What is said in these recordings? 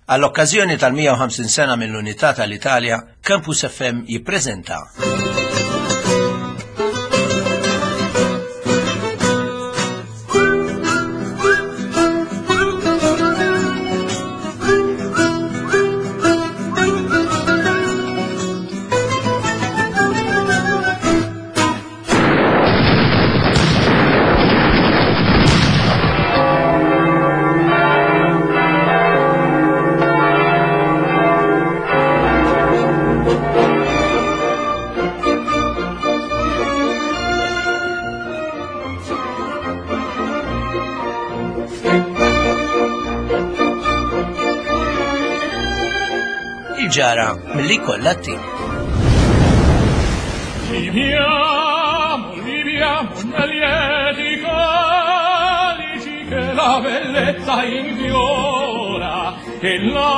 Għall-okkażjoni tal-150 sena mill-Unità tal-Italja, Campus FM jippreżenta. Il-ġara mill-li kollha tim. Viviamo, viviamo nel lieti calici che la bellezza infiora e la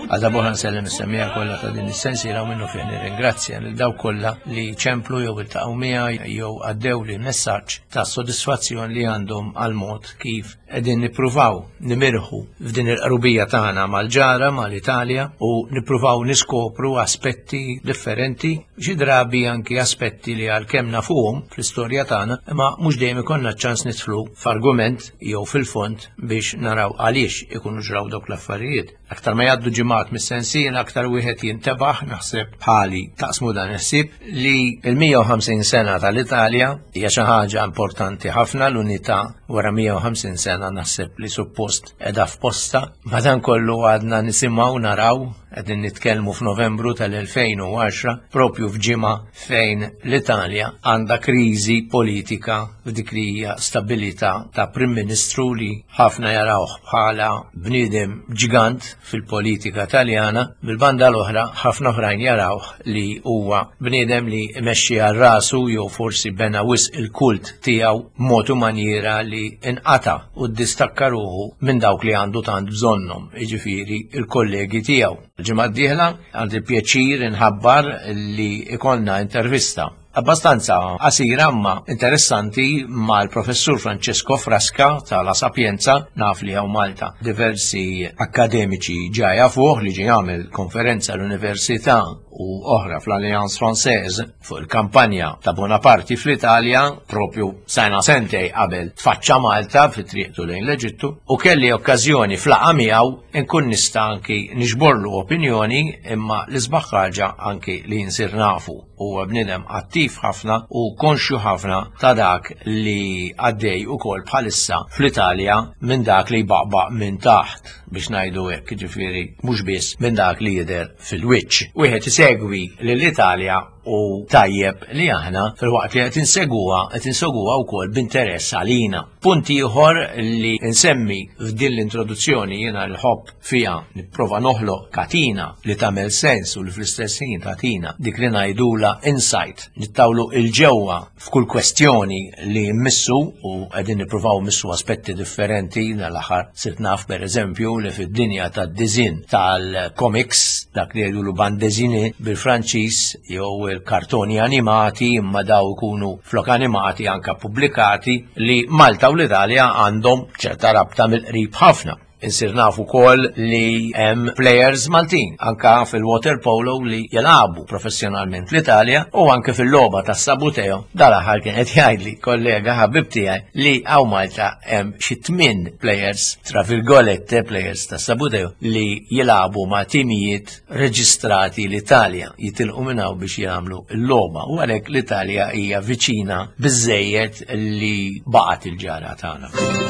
Għadha boħra nsellem is-semmiegħa kollha ta' din is-sensiela u minnu fih nirringrazzja lil dawk kollha li ċemplu jew iltaqgħu miegħi jew għaddew li messaġġ ta' sodisfazzjon li għandhom għal mod kif qegħdin nippruvaw nimirħu f'din il-qrubija tagħna mal-ġara mal-Italja u nippruvaw niskopru aspetti differenti, xi drabi anki aspetti li għalkemm nafuhom fl-istorja tagħna, imma mhux dejjem ikollna ċ-ċans nidħlu f'argument jew fil-fond biex naraw għaliex ikunu ġraw dawk l-affarijiet. Aktar ma jgħaddu ġimgħat mis-sensiela aktar wieħed jintebaħ naħseb bħali taqsmu dan il-ħsieb li l-150 sena tal-Italja hija xi ħaġa importanti ħafna l-unità wara 150 sena naħseb li suppost qiegħda f'posta. Madankollu għadna nisimgħu naraw qegħdin nitkellmu f'Novembru tal-2010 propju f'ġimgħa fejn l-Italja għandha kriżi politika f'dik li hija stabilità ta' Prim Ministru li ħafna jarawh bħala bniedem ġgant fil-politika Taljana, mill-banda l-oħra ħafna oħrajn jarawh li huwa bniedem li imexxi għal rasu jew forsi bena wisq il-kult tiegħu b'mod u manjiera li inqata' u ddistakka ruħu minn dawk li għandu tant bżonnhom, jiġifieri l-kollegi tiegħu. Il-ġimgħa d-dieħla għandi pjaċir inħabbar li ikollna intervista abbastanza qasira imma interessanti mal-professur Francesco Frasca ta' La Sapienza, naf li hawn Malta diversi akkademiċi ġa jafuh li ġie jagħmel konferenza l-Università u oħra fl-Alliance Française fuq il-kampanja ta' Bonaparte fl-Italja propju sena sentej qabel tfaċċa Malta fi triqtu lejn l-Eġittu u kelli okkażjoni flaqa miegħu nkun nista' anki niġborlu opinjoni imma l-isbaħ ħaġa anki li nsir nafu. Huwa bniedem attiv ħafna u konxju ħafna ta' dak li għaddej ukoll bħalissa fl-Italja minn dak li jbaqbaq minn taħt biex ngħidu hekk, jiġifieri mhux biss minn dak li jidher fil-wiċċ. Wieħed isegwi lill-Italja u tajjeb li aħna filwaqt li qed inseguha qed inseguha wkoll b'interess għalina. Punt ieħor li nsemmi f'din l-introduzzjoni jiena l-ħobb Fiha nipprova noħloq katina li tagħmel sens u li fl-istess ħin tagħtina dik li ngħidulha insight, nittawlu 'il ġewwa f'kull kwestjoni li mmissu u qegħdin nippruvaw mmissu aspetti differenti dal-aħħar sirt naf pereżempju li fid-dinja tad-diżinn tal-comics dak li jgħidulu bande dessinée bil-Franċiż jew il-kartoni animati imma daw ikunu flok animati anke pubblikati li Malta u l-Italja għandhom ċerta rabta mill-qrib ħafna. Insir naf ukoll li hemm players Maltin anka fil-water polo li jilagħbu professjonalment l-Italja u anke fil-logħba tas-Sabuteo. Dal-aħħar kien qed jgħidli kollega ħabib tiegħi li hawn Malta hemm xi tmien players tra virgolette players tas-Sabuteo li jilagħbu ma' timijiet reġistrati l-Italja jitilqu minn hawn biex jagħmlu l-logħba u għalhekk l-Italja hija viċina biżejjed li baqgħet il-ġara tagħna.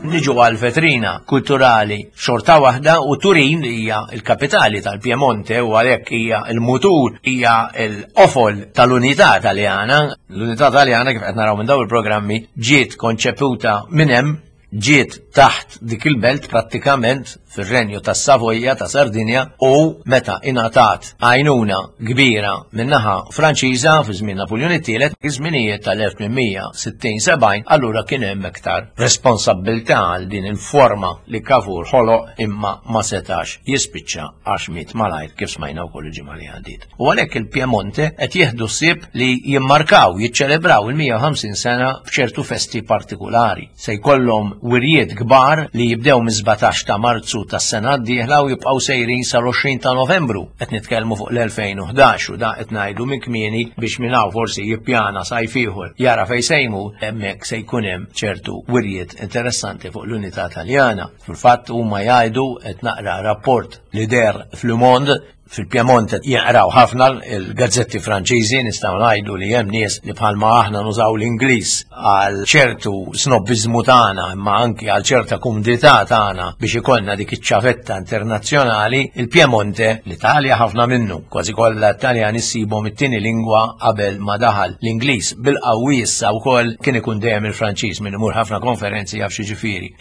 Niġu għal vetrina kulturali xorta waħda u Turin li hija l-kapitali tal-Piemonte u għalhekk hija l-mutur hija l-qofol tal-unità Taljana. L-unità Taljana kif qed naraw minn dawn il-programmi ġiet konċeputa minn hemm. ġiet taħt dik il-belt prattikament fir-renju tas-Savoja ta' Sardinja u meta ingħatat għajnuna kbira min-naħa Franċiża fi żmien Napuljun it-tielet, iż-żminijiet tal-1860-70, allura kien hemm iktar responsabbiltà għal din il-forma li Cavour ħoloq imma ma setax jispiċċa għax miet malajr kif smajna wkoll il-ġimgħa li għaddiet. U għalhekk il-Piemonte qed jieħdu ħsieb li jimmarkaw, jiċċelebraw il-150 sena b'ċertu festi partikulari. Se jkollhom wirjiet kbar li jibdew mis-17 ta' Marzu tas-sena d-dieħla u jibqgħu sejrin sal-20 ta' Novembru. Qed nitkellmu fuq l-2011 u da qed ngħidu minn kmieni biex minn hawn forsi jippjana sajf ieħor jara fejn se jmur, hemmhekk se jkun hemm ċertu wirjiet interessanti fuq l-unità Taljana. Fil-fatt huma jgħidu qed naqra rapport li deher f'Le Monde Fil-Piemonte jinqraw ħafna l-gazzetti Franċiżi, nistgħu ngħidu li hemm nies li bħalma aħna nużaw l-Ingliż għal ċertu snobbiżmu tagħna imma anki għal ċerta kumdità tagħna biex ikollna dik iċ-ċavetta internazzjonali, il-Piemonte, l-Italja ħafna minnu, kważi kollha Taljani ssibhom it-tieni lingwa qabel ma daħal l-Ingliż bil-qawwi issa wkoll kien ikun dejjem il-Franċiż min imur ħafna konferenzi jaf xi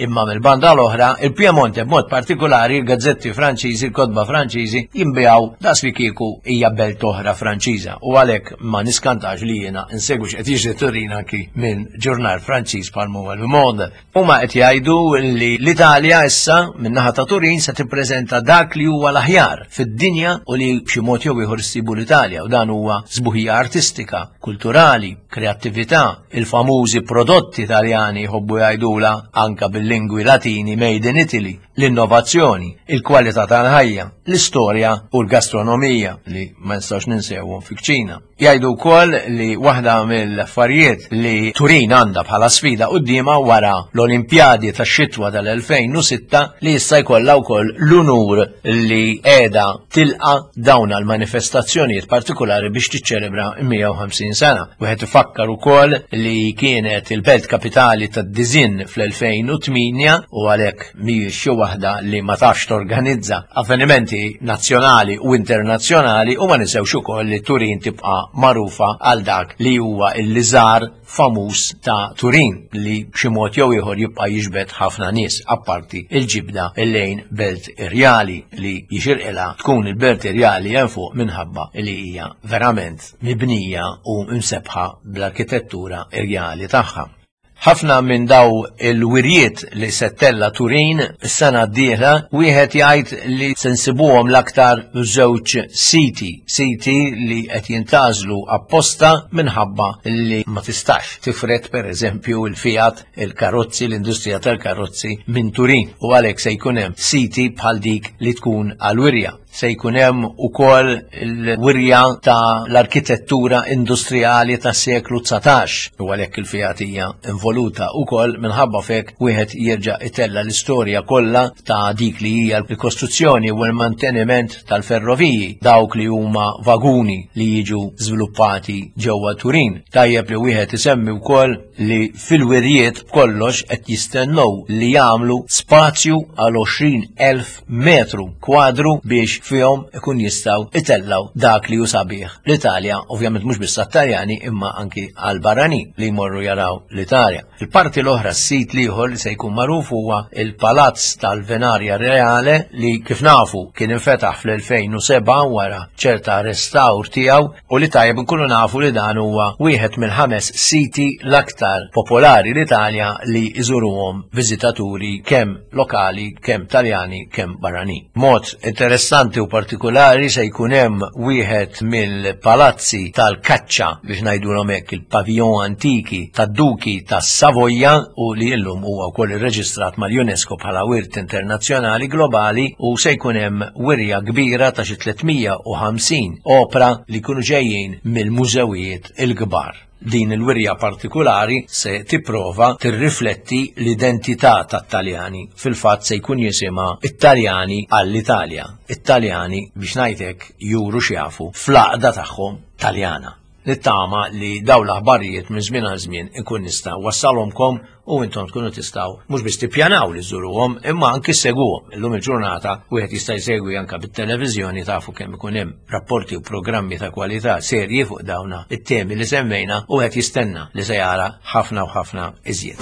Imma mill-banda l-oħra, il-Piemonte b'mod partikolari, il-gazzetti Franċiżi, il-kotba Franċiżi jinbiegħu daqs li kieku hija belt oħra Franċiża u għalhekk ma niskantax li jiena insegwu x'qed jiġri Turin anki minn ġurnal Franċiż bħal huwa Le Monde. Huma qed jgħidu li l-Italja issa min-naħa ta' Turin se tippreżenta dak li huwa l-aħjar fid-dinja u li b'xi mod jew ieħor issibu l-Italja u dan huwa sbuħija artistika, kulturali, kreattività, il-famużi prodotti Taljani jħobbu jgħidula anka bil-lingwi Latini made in Italy, l-innovazzjoni, il-kwalità tal-ħajja, l-istorja u l-gastronomija li ma nistgħux ninsewhom fi kċina. Jgħidu wkoll li waħda mill-affarijiet li Turin għandha bħala sfida quddiemha wara l-Olimpjadi tax-xitwa tal-2006 li issa jkollha wkoll l-unur li qiegħda tilqa dawn għal manifestazzjonijiet partikolari biex tiċċelebra 150 sena. Wieħed ifakkar ukoll li kienet il-belt kapitali tad-diżinn fl-2008 u għalhekk mhijiex xi waħda li ma tafx torganizza avvenimenti nazzjonali u internazzjonali u ma ninsewx ukoll li Turin tibqa' magħrufa għal dak li huwa l-liżar famuż ta' Turin li b'xi mod jew ieħor jibqa' jiġbed ħafna nies apparti il-ġibda lejn belt irjali li jixirqilha tkun il-belt irjali hemm fuq minħabba li hija verament mibnija u msebbħa bl-arkitettura irjali tagħha. Ħafna minn daw il-wirjiet li se ttella' Turin is-sena d-dieħla wieħed jgħid li se nsibuhom l-aktar żewġ siti, siti li qed jintgħażlu apposta minħabba li ma tistax tifred pereżempju il-Fiat, il-karozzi, l-industrija tal-karozzi minn Turin u għalhekk se jkun hemm siti bħal dik li tkun għall-wirja. Se jkun hemm ukoll il-wirja ta' l-arkitettura industrijali tas-seklu 19 u għalhekk il-Fiat hija involuta wkoll minħabba f'hekk wieħed jerġa' itella' l-istorja kollha ta' dik li hija l-kostruzzjoni u l-manteniment tal-ferroviji, dawk li huma vaguni li jiġu żviluppati ġewwa Turin. Tajjeb li wieħed isemmi wkoll li fil-wirjiet b'kollox qed jistennew li jagħmlu spazju għal 20,000 metru kwadru biex fihom ikun jistgħu itellgħu dak li hu sabiħ l-Italja, ovvjament mhux biss għat-Taljani imma anki għal barranin li jmorru jaraw l-Italja. Il-parti l-oħra s-sit l-ieħor li se jkun magħruf huwa il-Palazz tal-Venaria Reale li kif nafu kien infetaħ fl-2007 wara ċerta restawr tiegħu u li tajjeb nkunu nafu li dan huwa wieħed mill-ħames siti l-aktar popolari l-Italja li jżuruhom viżitaturi kemm lokali, kemm Taljani, kemm barranin. Mod interessanti u partikolari se jkun hemm wieħed mill-palazzi tal-kaċċa biex ngħidulhom hekk il-pavillon antiki tad-duki tas-Savoja u li llum huwa wkoll irreġistrat mal-UNESCO bħala wirt internazzjonali globali u se jkun hemm wirja kbira ta' xi 350 opra li jkunu ġejjin mill-mużewijiet il-kbar. Din il-wirja partikulari se tipprova tirrifletti l-identità tat-Taljani. Fil-fatt se jkun jisimha It-Taljani għall-Italja. It-Taljani, biex ngħid hekk, juru x'jafu fl-għaqda tagħhom Taljana. Nittama li dawn l-aħbarijiet minn żmien għal żmien inkun nista' wassalhomkom u intom tkunu tistgħu mhux biss tippjanaw li żżuruhom imma anki ssegwuhom. Illum il-ġurnata wieħed jista' jsegwi anke bit-televiżjoni tafu kemm ikun hemm rapporti u programmi ta' kwalità serji fuq dawna it-temi li semmejna u wieħed jistenna li se jara ħafna u ħafna iżjed.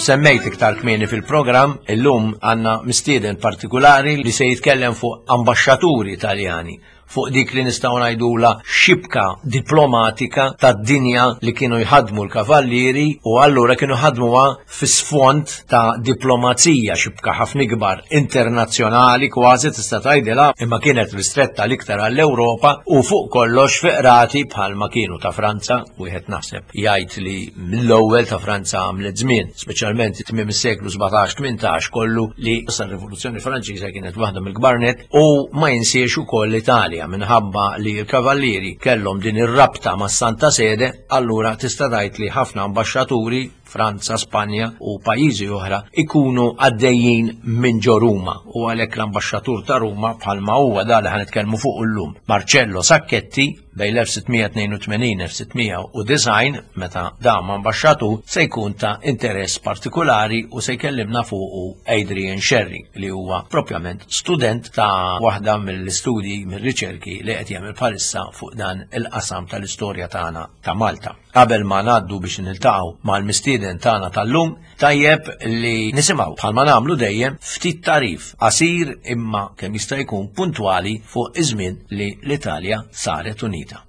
semmejt iktar kmieni fil-programm, illum għandna mistieden partikulari li se jitkellem fuq ambaxxaturi Taljani fuq dik li nistgħu ngħidulha xibka diplomatika tad-dinja li kienu jħaddmu l-kavallieri u allura kienu ħadmuha fi sfond ta' diplomazija xibka ħafna ikbar internazzjonali kważi tista' tgħidilha imma kienet ristretta l-iktar għall-Ewropa u fuq kollox fi qrati bħalma kienu ta' Franza wieħed naħseb jgħid li mill-ewwel ta' Franza għamlet żmien, speċjalment tmiem is-seklu 17-18 kollu li sa rivoluzzjoni Franċiża kienet waħda mill-kbar net u ma jinsiex ukoll l-Italja minħabba li l-kavallieri kellhom din ir-rabta mas-Santa Sede, allura tista' tgħid li ħafna ambaxxaturi Franza, Spanja u pajjiżi oħra ikunu għaddejjin minn ġo Ruma u għalhekk l-ambaxxatur ta' Ruma bħalma huwa da li ħanitkellmu fuq illum, Marcello Sacchetti bejn l-1682-1690 meta dam ambaxxatur se jkun ta' interess partikulari u se jkellimna fuqu Adrian Scerri li huwa propjament student ta' waħda mill-istudji mir-riċerki li qed jagħmel bħalissa fuq dan il-qasam tal-istorja tagħna ta' Malta. Qabel ma ngħaddu biex niltaqgħu mal-mistieden tagħna tal-lum, tajjeb li nisimgħu bħalma nagħmlu dejjem ftit tagħrif qasir imma kemm jista' jkun puntwali fuq iż-żmien li l-Italja saret unita.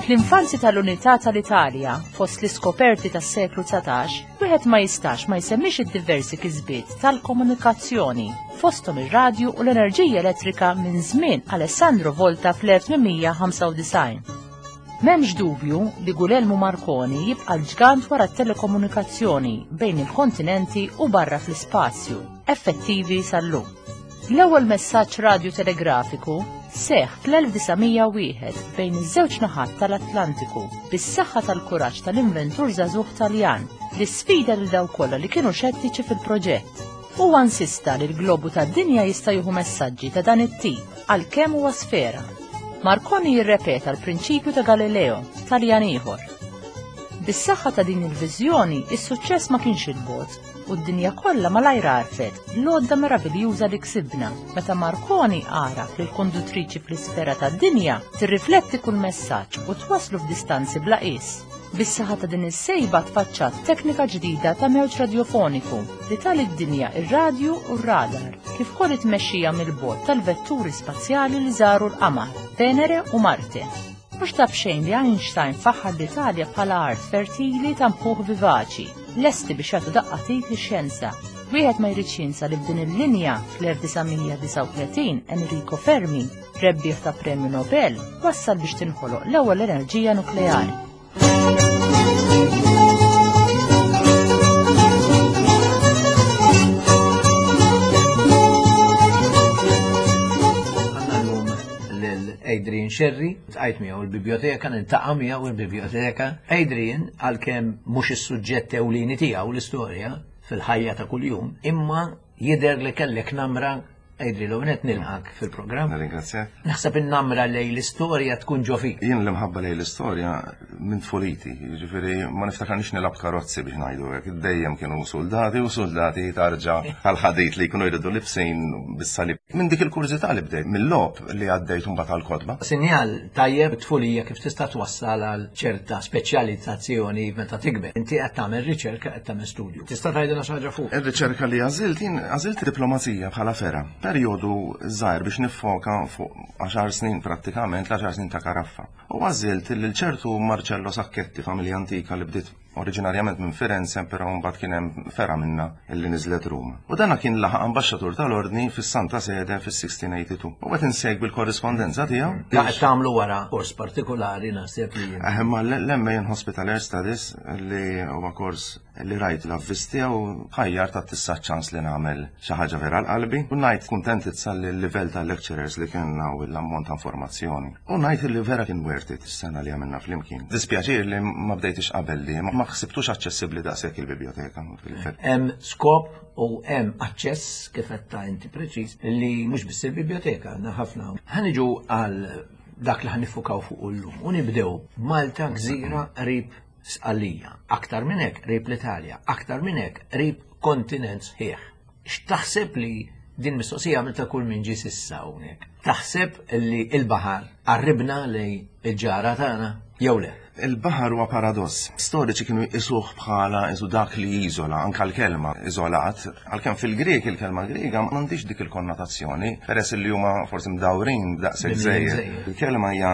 Fl-infanzi tal-unità tal-Italja, fost l-iskoperti tas-seklu 19, wieħed ma jistax ma jsemmix id-diversi kisbiet tal-komunikazzjoni, fosthom ir-radju u l-enerġija elettrika minn żmien Alessandro Volta fl-1895. M'hemmx dubju li Guglielmo Marconi jibqa' l-ġgant wara t-telekomunikazzjoni bejn il-kontinenti u barra fl-ispazju, effettivi sal-lum. L-ewwel messaġġ radju telegrafiku seħħ fl-1901 bejn iż-żewġ naħat tal-Atlantiku bis-saħħa tal-kuraġġ tal-inventur żagħżugħ Taljan li sfida lil dawk kollha li kienu xettiċi fil-proġett. Huwa insista li l-globu tad-dinja jista' jieħu messaġġi ta' dan it-tip għalkemm huwa sfera. Marconi jirrepeta l-prinċipju ta' Galileo, Taljan ieħor. Bis-saħħa ta' din il-viżjoni, is-suċċess ma kienx il-bogħod u d-dinja kollha malajr għarfet l-għodda meraviljuża li ksibna meta Marconi għaraf li l-konduttriċi fl-isfera tad-dinja tirrifletti kull messaġġ u twasslu f'distanzi bla qies. Bis-saħħa ta' din is-sejba tfaċċat teknika ġdida ta' mewġ radjofoniku li ta lid-dinja ir-radju u r-radar, kif ukoll it-tmexxija mill-bogħod tal-vetturi spazjali li żaru l-Qamar, Venere u Marte. Mhux ta' b'xejn li Einstein faħħar l-Italja bħala art fertili ta' mħuħ vivaċi, lesti biex jagħtu daqqa t'id lix-xjenza. Wieħed ma jridx jinsa li f'din il-linja fl-1939 Enrico Fermi, rebbieħ ta' Premju Nobel, wassal biex tinħoloq l-ewwel enerġija nukleari. Adrian Scerri, tqajt miegħu il-biblioteka, niltaqa' miegħu il-biblioteka. Adrian, għalkemm mhux is-suġġett ewlieni tiegħu l-istorja fil-ħajja ta' kuljum, imma jidher li kellek namra Adrian, l qed nilqak fil-programm. Nirringrazzjak. Naħseb in-namra lej l-istorja tkun ġo fik. Jien l-imħabba lej l-istorja minn tfuliti, jiġifieri ma niftakarnix nilgħab karozzi biex ngħidu hekk, dejjem kienu soldati u soldati tarġa tal-ħadid li jkunu jridu libsin bis-salib. Minn dik il-kurżità li bdejt, mill-logħob li għaddejt imbagħad għall-kotba. Sinjal tajjeb tfulija kif tista' twassal għal ċerta speċjalizzazzjoni meta tikber. Inti qed tagħmel riċerka, qed tagħmel studju. Tista' tgħidilna xi ħaġa fuq? Ir-riċerka li għażilt jien għażilt diplomazija bħala fergħa. Perjodu żgħir biex niffoka fuq 10 snin prattikament, l-10 snin ta' Karaffa. U għażilt lil ċertu Marcello Sacchetti, familja antika li bdiet oriġinarjament minn Firenze, però mbagħad kien hemm fergħa minnha illi niżlet Ruma. U dana kien laħaq ambaxxatur tal-Ordni fis-Santa Sede fis-1682. U qed insegwi l-korrispondenza tiegħu. Da qed tagħmlu wara kors partikolari naħseb li jien. Ma l-MA in Hospital Air Studies li huwa kors li rajt l-avviż tiegħu ħajjar ta' tissa ċans li nagħmel xi ħaġa vera l-qalbi. U ngħid kuntentizza li l-livell tal-lecturers li kellna u l-ammont ta' informazzjoni. U ngħid li vera kien worth it is-sena li għamilna flimkien. Dispjaċir li ma bdejtix qabel li ma ħsibtux aċċessibbli daqshekk il-biblioteka. Hemm skop u hemm aċċess kif qed ta' inti preċiż li mhux biss il-biblioteka għandna ħafna. Ħa niġu għal dak li ħa niffukaw fuq illum u nibdew Malta gżira qrib Sqallija, aktar minn hekk qrib l-Italja, aktar minn hekk qrib kontinent sħiħ. X'taħseb li din mistoqsija għamilta kull min ġie s'issa hawnhekk? Taħseb li l-baħar qarribna lejn il-ġara tagħna jew le? Il-baħar huwa paradoss. Storiċi kienu jqisuh bħala isu dak li jiżola, anka l-kelma iżolat, għalkemm fil-Grieg il-kelma Griega m'għandix dik il-konnotazzjoni, peress li huma forsi mdawrin daqshekk żejjed. Il-kelma hija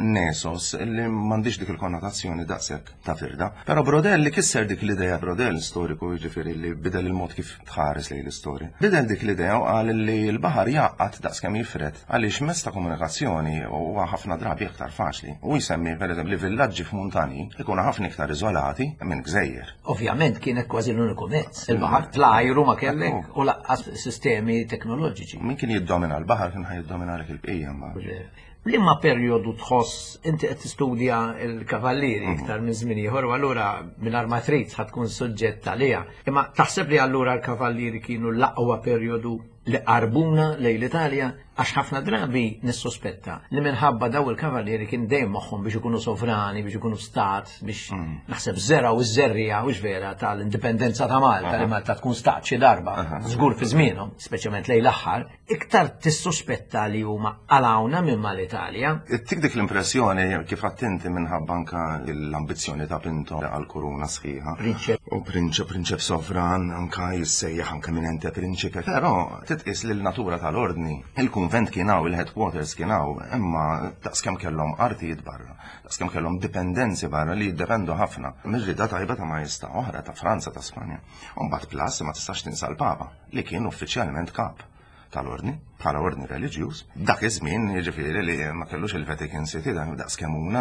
nesos li m'għandix dik il-konnotazzjoni daqshekk ta' firda. Però Brodel li kisser dik l-idea, Brodel storiku jiġifieri li bidel il-mod kif tħares lejn l-istorja. Bidel dik l-idea u qal li l-baħar jgħaqqad daqskemm jifred għaliex mezz ta' komunikazzjoni huwa ħafna drabi aktar faċli. U jsemmi pereżempju li villaġġi f'muntanji ikunu ħafna iktar iżolati minn gżejjer. Ovvjament kienet kważi l-uniku mezz. Il-baħar fl-ajru ma kellek u laqqas sistemi teknoloġiċi. Min kien jiddomina l-baħar kien ħa jiddomina l-bqija mbagħad. Liema perjodu tħoss inti qed tistudja l-kavallieri mhm. iktar minn żmien ieħor u allura mingħajr ma trid ħa tkun suġġett għaliha. Imma taħseb li allura l-kavallieri kienu l-aqwa perjodu li qarbuna lejn l-Italja għax ħafna drabi nissospetta li minħabba daw il-kavallieri kien dejjem moħħhom biex ikunu sovrani, biex ikunu stat, biex mm. naħseb żera u żerrija u vera tal-indipendenza ta' Malta li Malta tkun stat xi darba, żgur fi żmienhom, speċjalment lejn l-aħħar, Iktar tissuspetta li huma qalgħuna minn mal-Italja. Ittik dik l-impressjoni kif għedt inti minħabba anka l-ambizzjoni ta' Pinto għall-kuruna sħiħa. Prinċep. U prinċep, prinċep sovran, anka jissejjaħ anka minn ente prinċipe. Però titqis li l-natura tal-ordni, il-kunvent kien hawn, il-headquarters kien hawn, imma daqskemm kellhom artijiet barra, daqskemm kellhom dipendenzi barra li jiddependu ħafna mir-rieda tajba ta' majestà oħra ta' Franza, ta' Spanja. U mbagħad plus ma tistax tinsa l-Papa. li kien uffiċjalment kap tal-ordni, bħala ordni reliġjuż. Dak iż-żmien, jiġifieri li ma kellux il-Vatican City, dan daqs kemm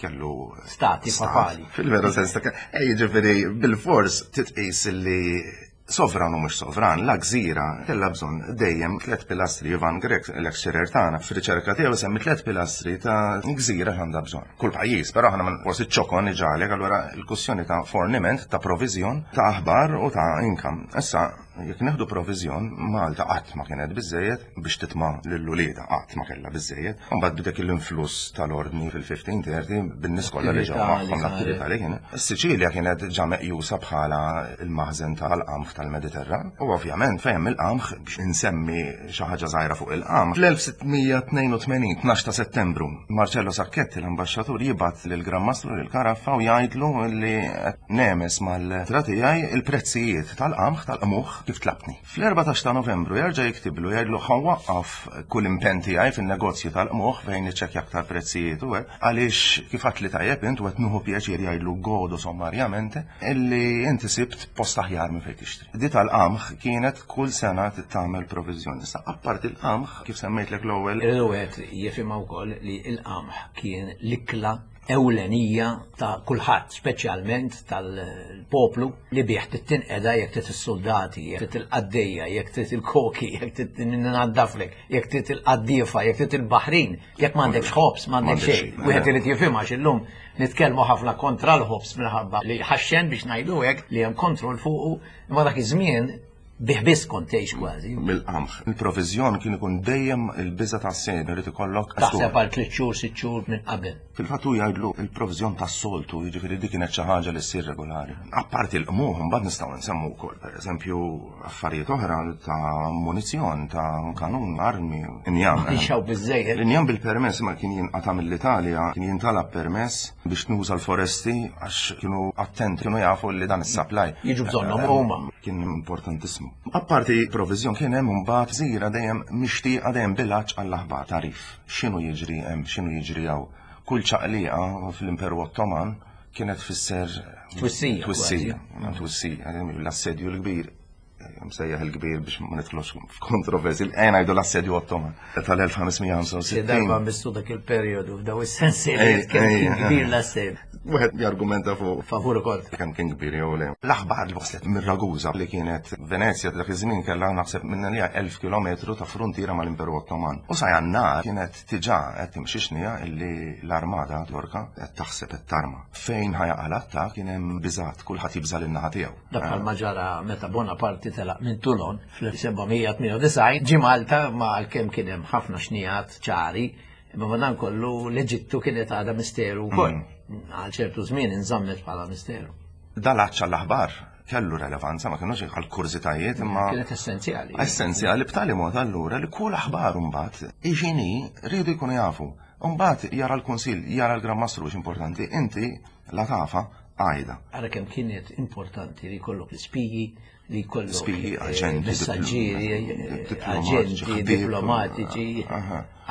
kellu stati papali. Fil-veru sens ta' eh, jiġifieri bil-fors titqis li sovran u mhux sovran, la gżira kellha bżonn dejjem tliet pilastri Ivan Grek, l-lecturer tagħna fir-riċerka tiegħu semmi tliet pilastri ta' gżira għandha bżonn. Kull pajjiż, però aħna forsi ċokon iġalek allura l-kussjoni ta' forniment, ta' proviżjon, ta' aħbar u ta' income. Issa, jekk nieħdu proviżjon, Malta qatt ma kienet biżejjed biex titma' lil uliedha, qatt ma kellha biżejjed. Imbagħad b'dik l-influss tal-ordni fil-1530 bin-nies kollha li ġew magħhom l-attività li kien. Is-Siċilja kienet ġa meqjusa bħala l-maħżen tal-qamħ tal-Mediterran. U ovvjament fejn hemm il-qamħ biex insemmi xi ħaġa żgħira fuq il-qamħ. Fl-1682, 12 ta' Settembru, Marcello Sacchetti, l-ambaxxatur, jibgħat lill-Gran Mastru lil Caraffa u jgħidlu li nemes mal-tra tiegħi il-prezzijiet tal-qamħ tal-qmuħ kif tlabtni. Fl-14 ta' Novembru jerġa' jiktiblu jgħidlu ħa nwaqqaf kull impenn tiegħi fin-negozju tal-qmuħ fejn niċċekkja aktar prezzijiet u hekk għaliex kif għedtli tajjeb int u qed nieħu pjaċir jgħidlu godo sommarjamente illi inti sibt post aħjar minn fejn tixtri. Di tal-qamħ kienet kull sena tagħmel proviżjoni. Issa apparti l-qamħ kif semmejtlek l-ewwel. Irridu wieħed jifhimha wkoll li l-qamħ kien l-ikla ewlenija ta' kulħadd, speċjalment tal-poplu li bih tittinqeda jekk trid is-suldati, jekk trid il-qaddejja, jekk trid il-koki, jekk trid nnaddaflek, jekk trid il-qaddiefa, jekk trid il-baħrin, jekk m'għandekx ħobż, m'għandek xejn. Wieħed irid jifhimha għax illum nitkellmu ħafna kontra l-ħobż minħabba li ħaxxen biex ngħidu hekk li hemm kontroll fuqu, imma dak iż-żmien bih biss kont tgħix kważi. Mill-qamħ. Il-proviżjon kien ikun dejjem il-biża' tas-sejn, irid ikollok. Taħseb għal tliet xhur, sitt xhur minn qabel. Fil-fatt hu jgħidlu il-proviżjon tas-soltu, jiġifieri dik kienet xi ħaġa li ssir regolari. Apparti l-qmuħ imbagħad nistgħu nsemmu wkoll, pereżempju, affarijiet oħra ta' munizzjon, ta' kanun, armi, injam. Ma kienx hawn biżżejjed. L-injam bil-permess ma kien jinqata' mill-Italja, kien jintalab permess biex nuża l-foresti għax kienu attenti, kienu jafu li dan is-supply. Jiġu bżonnhom huma. Kien importantissimu. Apparti proviżjon kien hemm imbagħad gżira dejjem mixtieqa dejjem bil-għatx għall-aħbar tagħrif. X'inhu jiġri hemm, x'inhu jiġri hawn. Kull ċaqliqa fl-Imperu Ottoman kienet tfisser twissija. Twissija, twissija, l-assedju l-kbir msejjaħ il-kbir biex ma nidħlux f'kontroversi, ejja ngħidu l-assedju Ottoman tal-1565. Xi darba missu dak il-perjodu f'daw is-sensi li kien kbir l-assedju. Wieħed jargumenta fuq. Favur ukoll. Kemm kien kbir jew le. L-aħbar li waslet minn Ragusa li kienet Venezja dak iż-żmien kellha naħseb minn li 1000 kilometru ta' fruntiera mal-Imperu Ottoman. U sa Jannar kienet diġà qed timxi xnija illi l-armata Torka qed taħseb qed tarma. Fejn ħa jaqa' l-attakk kien hemm biżgħat, kulħadd jibża' lin-naħa tiegħu. Dak bħalma ġara meta Bonaparte telaq minn Toulon fl-1798 ġie Malta ma għalkemm kien hemm ħafna xnijat ċari, imma madankollu l-Eġittu kienet għadha misteru wkoll. Mm. Għal ċertu żmien inżammet bħala misteru. Dal-għatx għall-aħbar. Kellu relevanza, ma kienux għal kurżitajiet imma. Kienet essenzjali. Essenzjali b'tali mod allura li kull aħbar mbagħad iġini rridu jkunu jafu. Mbagħad jara l-Kunsill, jara l-Gran Mastru importanti, inti la tafa għajda. Ara kemm kienet importanti li jkollok l-ispiji, li jkollok spiji, eh, aġenti, messaġġieri, eh, aġenti, diplomatiċi.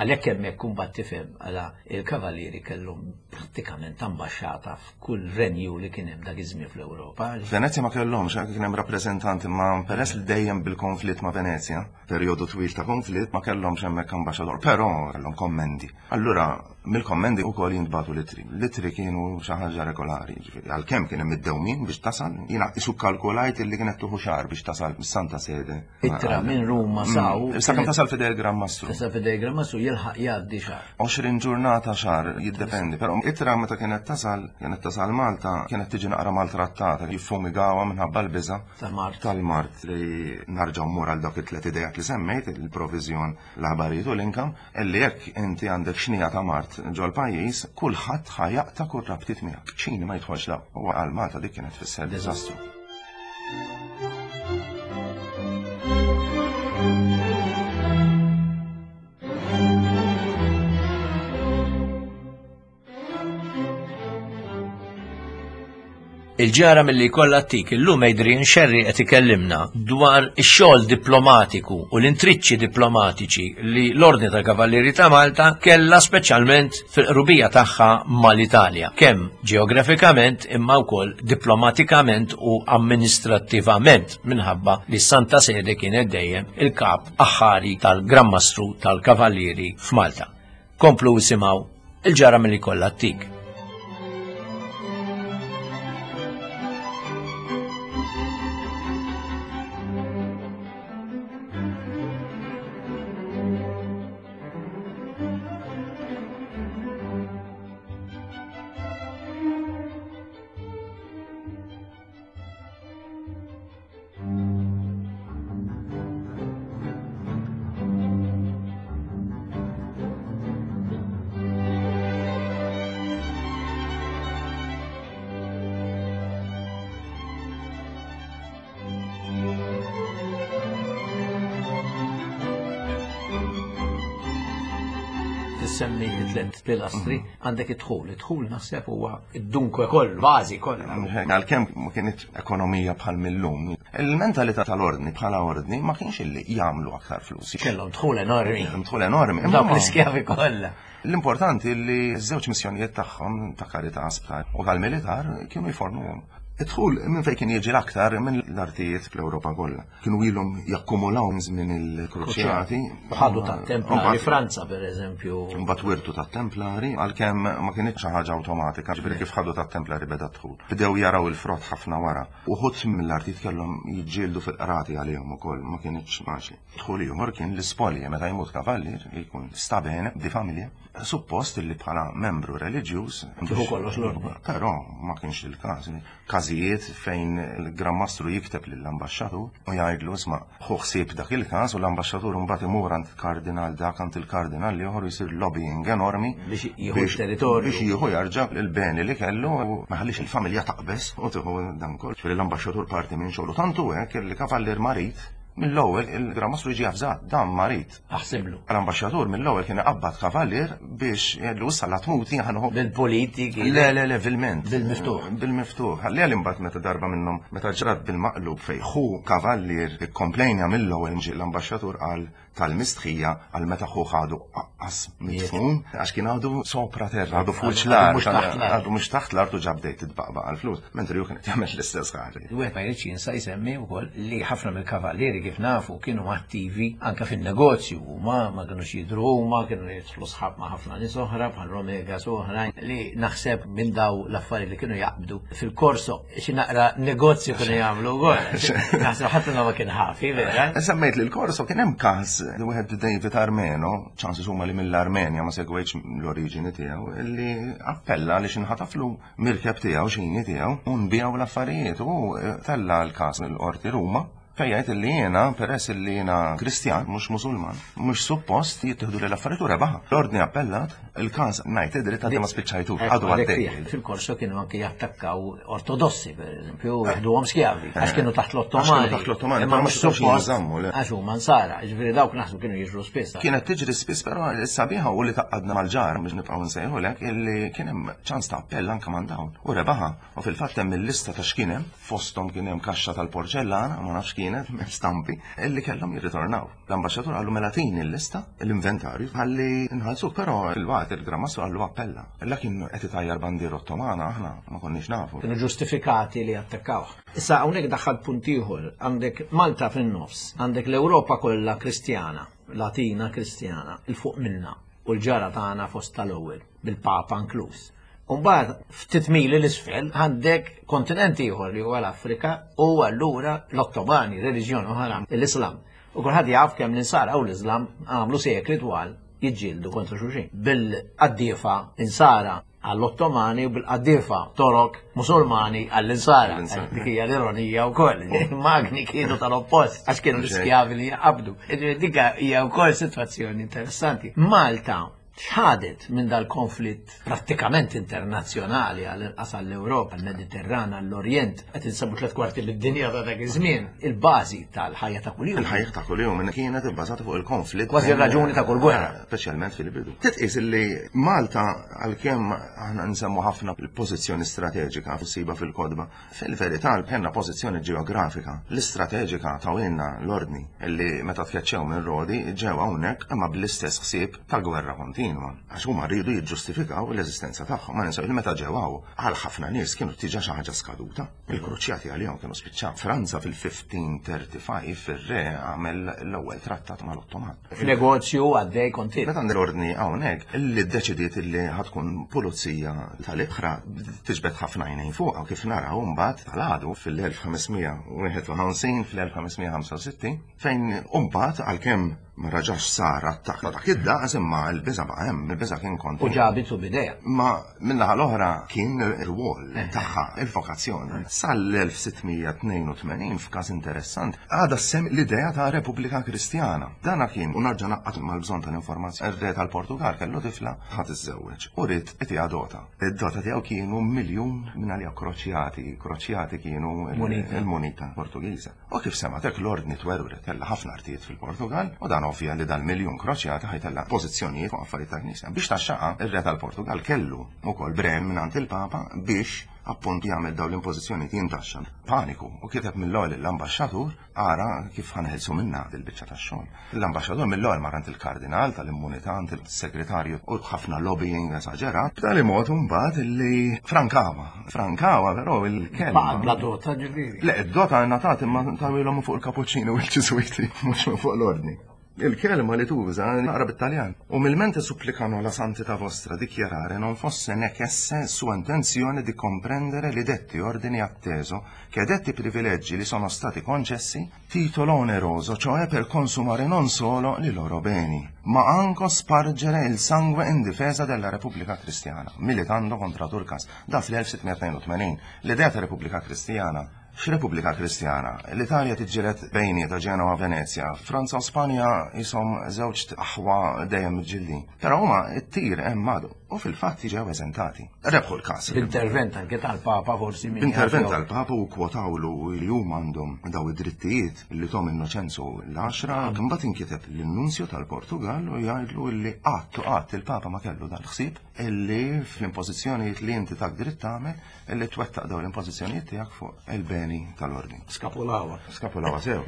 Għalhekk hemmhekk kumbat tifhem għala il-kavallieri kellhom prattikament ambaxxata f'kull renju li kien hemm dak iż-żmien fl-Ewropa. Venezja ma kellhomx, kien hemm rappreżentanti ma peress li dejjem bil-konflitt ma' Venezja, perjodu twil ta' konflitt ma kellhomx hemmhekk ambaxxatur, però kellhom kommendi. Allura mill-kommendi wkoll jintbagħtu l-ittri. L-ittri kienu xi ħaġa regolari, ġifieri għalkemm kien hemm id-dewmien biex tasal, jiena isu kalkulajt illi kienet tuħu xahar biex tasal mis-Santa Sede. Ittra minn Ruma mm. saw. Sa kemm tasal fidej il-Gran Mastru. Tasal fidej il-Gran Mastru jilħaq jgħaddi xahar. 20 ġurnata xahar jiddependi, però ittra meta kienet tasal, kienet tasal Malta, kienet tiġi naqra maltrattata, jiffumigawha minħabba l-biża' tal-mart. Tal-mart li narġa' mmur għal dawk it-tliet idejat li semmejt, il-proviżjon, l-aħbarijiet u l-income, illi jekk inti għandek xnija ta' mart ġol-pajjiż, kulħadd ħa jaqta' kull rabtiet miegħek. Ċini ma jidħolx la. U għal Malta dik kienet tfisser diżastru. Il-ġara milli jkollha ttik illum Adrian Scerri qed ikellimna dwar ix-xogħol diplomatiku u l-intriċċi diplomatiċi li l-Ordni tal-Kavallieri ta' Malta kellha speċjalment fil-qrubija tagħha mal-Italja, kemm ġeografikament imma wkoll diplomatikament u amministrattivament minħabba li s-Santa Sede kienet dejjem il-kap aħħari tal-Gran Mastru tal-Kavallieri f'Malta. Komplu isimgħu il-ġara milli kollha ttik. Tissemmi tliet pilastri, għandek id-dħul. Id-dħul naħseb huwa id-dunkwe kollu, bażi kollha. Għalkemm ma kienx ekonomija bħal millum. Il-mentalità tal-ordni bħala ordni ma kienx illi jagħmlu aktar flus. Kellhom dħul enormi. Kellhom dħul enormi. Dawk l-iskjavi kollha. L-importanti li ż-żewġ missjonijiet tagħhom ta' karità sptar u tal-militar kienu jfornuhom. Id-dħul minn fejn kien jiġi l-aktar minn l-artijiet fl-Ewropa kollha. Kienu ilhom jakkumulaw minn żmien il-Kruċjati. Ħadu tat-Templari Franza pereżempju. Mbagħad wirtu tat-Templari għalkemm ma kinitx xi ħaġa awtomatika, ġifieri kif ħadu tat-Templari beda d-dħul. Bdew jaraw il-frott ħafna wara. Uħud mill-artijiet kellhom jiġġieldu fil-qrati għalihom ukoll, ma kinitx faċli. Dħul ieħor kien l-ispolje meta jmut kavallier li jkun sta bene di familja, suppost li bħala membru reliġjuż. Tieħu kollox l-ordni. Però ma kienx il-każ. Każijiet fejn il-Gran Mastru jikteb lill-ambaxxatur u jgħidlu isma' ħu ħsieb dak il-każ u l-ambaxxatur imbagħad imur għand kardinal dak għand il-kardinal l-ieħor u jsir lobbying enormi biex jieħu t-territorju. Biex jieħu jarġa' l-beni li kellu u ma jħallix il-familja taqbeż u tieħu dan kollu. Ġifieri l-ambaxxatur parti minn xogħlu tant hu hekk li kavallier marid Mill-ewwel il-Gran Mastru jiġi avżat, dan marid. Aħsiblu. L-ambaxxatur mill-ewwel kien iqabbad kavallier biex jgħidlu issa la tmut jien ħa nieħu. Bil-politiki. Le, le, le, vilment. Bil-miftuħ. Bil-miftuħ. Ħalli għal imbagħad meta darba minnhom meta ġrat bil-maqlub fejn ħu kavallier ikkomplejnja mill-ewwel ġie l-ambaxxatur qal tal-mistħija għal meta ħuh għadu aqqas midfun, għax kien għadu sopra terra, għadu fuq l-art, għadu mhux taħt l-art u ġa bdejt titbaqbaq għall-flus, mentri hu kien qed jagħmel l-istess ħaġa. Wieħed ma jridx jinsa jsemmi wkoll li ħafna mill-kavallieri kif nafu kienu attivi anke fin-negozju huma ma kinux jidhru huma, kienu jidħlu sħab ma' ħafna nies oħra bħal Romegas u oħrajn li naħseb minn daw l-affarijiet li kienu jaqbdu fil-korso xi naqra negozju kienu jagħmlu wkoll. Naħseb ħadd ma kien ħafi, vera. Semmejt li l-korso kien hemm każ li wieħed David Armeno, ċansi huma li mill-Armenja ma segwejtx l-oriġini tiegħu, li appella li xinħataflu mirkeb tiegħu xini tiegħu u nbiegħu l-affarijiet u eh, tella l-każ l-qorti Ruma. Fejn jgħid li jiena peress li jiena Kristjan mhux Musulman, mhux suppost jittieħdu lil affarijiet u rebaħha. L-ordni appellat, il-każ ngħid id-dritt għadni ma spiċċajtux, għadu għaddej. Fil-Korso kienu anke jattakkaw ortodossi, per eżempju, jieħduhom skjavi, għax kienu taħt l-Ottomani. Taħt l-Ottomani, imma mhux suppost għax huma nsara, ġifieri dawk naħsbu kienu jiġru spiss. Kienet tiġri spiss, però s-sabiħa u li taqqadna mal-ġar biex nibqgħu nsejħulek illi kien hemm ċans ta' appell anke man dawn u rebaħa. U fil-fatt hemm il-lista ta' x'kien hemm, fosthom kien hemm kaxxa tal-porċellana, ma nafx kienet, stampi, illi kellhom jirritornaw. L-ambaxxatur qallu mela tini l-lista, l-inventarju, ħalli nħallsuk, però fil-waqt il-Gran Mastru qallu appella. La kien qed itajjar bandiera Ottomana aħna ma konniex nafu. Kienu ġustifikati li attakkawh. Issa hawnhekk daħħalt punt ieħor, għandek Malta fin-nofs, għandek l-Ewropa kollha Kristjana, Latina Kristjana, 'il fuq minna u l-ġara tagħna fost tal-ewwel, bil-Papa inkluż. U mbagħad ftit mili l-isfel għandek kontinent ieħor li huwa l-Afrika u allura l-Ottomani, reliġjon oħra, l-Islam. U kulħadd jaf kemm l-insara u l-Islam għamlu sekli twal jiġġieldu kontra xulxin. Bil-qaddiefa insara għall-Ottomani u bil-qaddiefa Torok Musulmani għall-insara. Dik hija l-ironija wkoll. Il-magni kienu tal-oppost għax kienu l-iskjavi li jaqabdu. Dik hija wkoll sitwazzjoni interessanti. Malta x'ħadet minn dal-konflitt prattikament internazzjonali għall-inqas għall-Ewropa, għall-Mediterran, għall-Orjent, qed insemmu tliet kwarti mid-dinja ta' dak iż-żmien, il-bażi tal-ħajja ta' kuljum. Il-ħajja ta' kuljum kienet ibbażata fuq il-konflitt. Kważi r-raġuni ta' kull gwerra. Speċjalment fil-bidu. Titqis li Malta għalkemm aħna nsemmu ħafna l-pożizzjoni strateġika ssiba fil-kotba, Fil-verità kellna pożizzjoni ġeografika. L-istrateġika tawilna l-ordni li meta tkeċċew minn Rodi ġew hawnhekk imma bl-istess ħsieb ta' gwerra kontinwa. Għax huma riedu jiġġustifikaw l-eżistenza tagħhom. Ma ninsew li meta ġew hawn, għal ħafna nies kienu diġà xi ħaġa skaduta. Il-kruċjati għalihom kienu spiċċaw. Franza fil-1535 ir-re għamel l-ewwel trattat mal-Ottoman. F'negozju għaddej kontinwu. Meta l-ordni hawnhekk li ddeċidiet li ħa tkun pulizija tal-ibħra tiġbed ħafna għajnejn fuqha kif naraw mbagħad tal-għadu fil-1551 fl-1565 fejn mbagħad għalkemm ma raġax sar attakk ta' dak id-daqs imma l-biża' baqa' hemm, il-biża' kien kontinwu. U ġabitu b'idejha. Ma min-naħa l-oħra kien ir-rwol tagħha, il-vokazzjoni. Sal-1682 f'każ interessant għadha ssemm l-idea ta' Repubblika Kristjana. Dana kien, u narġa' ngħaqqad mal-bżonn tal-informazzjoni, ir-re tal-Portugal kellu tifla ħa tiżżewweġ u ried itiha dota. Id-dota tiegħu kienu miljun minn għalija kroċjati, kroċjati kienu il-munita Portugiża. U kif semgħet hekk l-ordni twerwret kellha ħafna artijiet fil-Portugal u dan ovvja li dal-miljun kroċjati ħajtella pożizzjonijiet fuq affarijiet tal-Knisja. Biex taxxaqa ir-re tal-Portugal kellu wkoll brem mingħand il-Papa biex appunt jagħmel dawn l-impożizzjonijiet jintaxxa. Paniku u kiteb mill-ewwel lill-ambaxxatur Ara kif ħa neħilsu minnha dil-biċċa tax-xogħol. L-ambaxxatur mill-ewwel mar għand il-kardinal tal-immunità għand il-segretarju u ħafna lobbying esaġerat, b'tali mod imbagħad illi frankawa. Frankawa però il-kelma. Baqgħet bla dota ġifieri. Le, id-dota ngħatat imma tawilhom fuq il-kapuċċini u l-ġiżwiti mhux minn fuq l-ordni. Il-kelma li tuża naqra bit-Taljan. Umilmente supplicano la santità vostra dichiarare non fosse necesse sua intenzione di comprendere li detti ordini atteso che detti privilegi li sono stati concessi titolo oneroso, cioè per consumare non solo li loro beni, ma anco spargere il sangue in difesa della Repubblica Cristiana, militando contra Turcas, da fl-1682. L-idea ta' Repubblika Kristjana X'Repubblika Kristjana? L-Italja tiġġieled bejnietha Ġenova Venezja, Franza u Spanja qishom żewġt aħwa dejjem miġġieldin. Però huma t-tir hemm għadu u fil-fatt ġew eżentati. Rebħu l-każ. B'intervent anke tal-Papa forsi min. B'intervent tal-Papa u kwotawlu li huma għandhom daw id-drittijiet li thom Innoċenzu l-għaxra. Imbagħad inkiteb lin-Nunzju tal-Portugall u jgħidlu li qatt u qatt il-Papa ma kellu dal-ħsieb illi fl-impożizzjonijiet li inti tak dritt tagħmel Illi twettaq dawn l-impożizzjonijiet tiegħek fuq il-beni tal-ordni. Skapulawa. Skapulawa sew.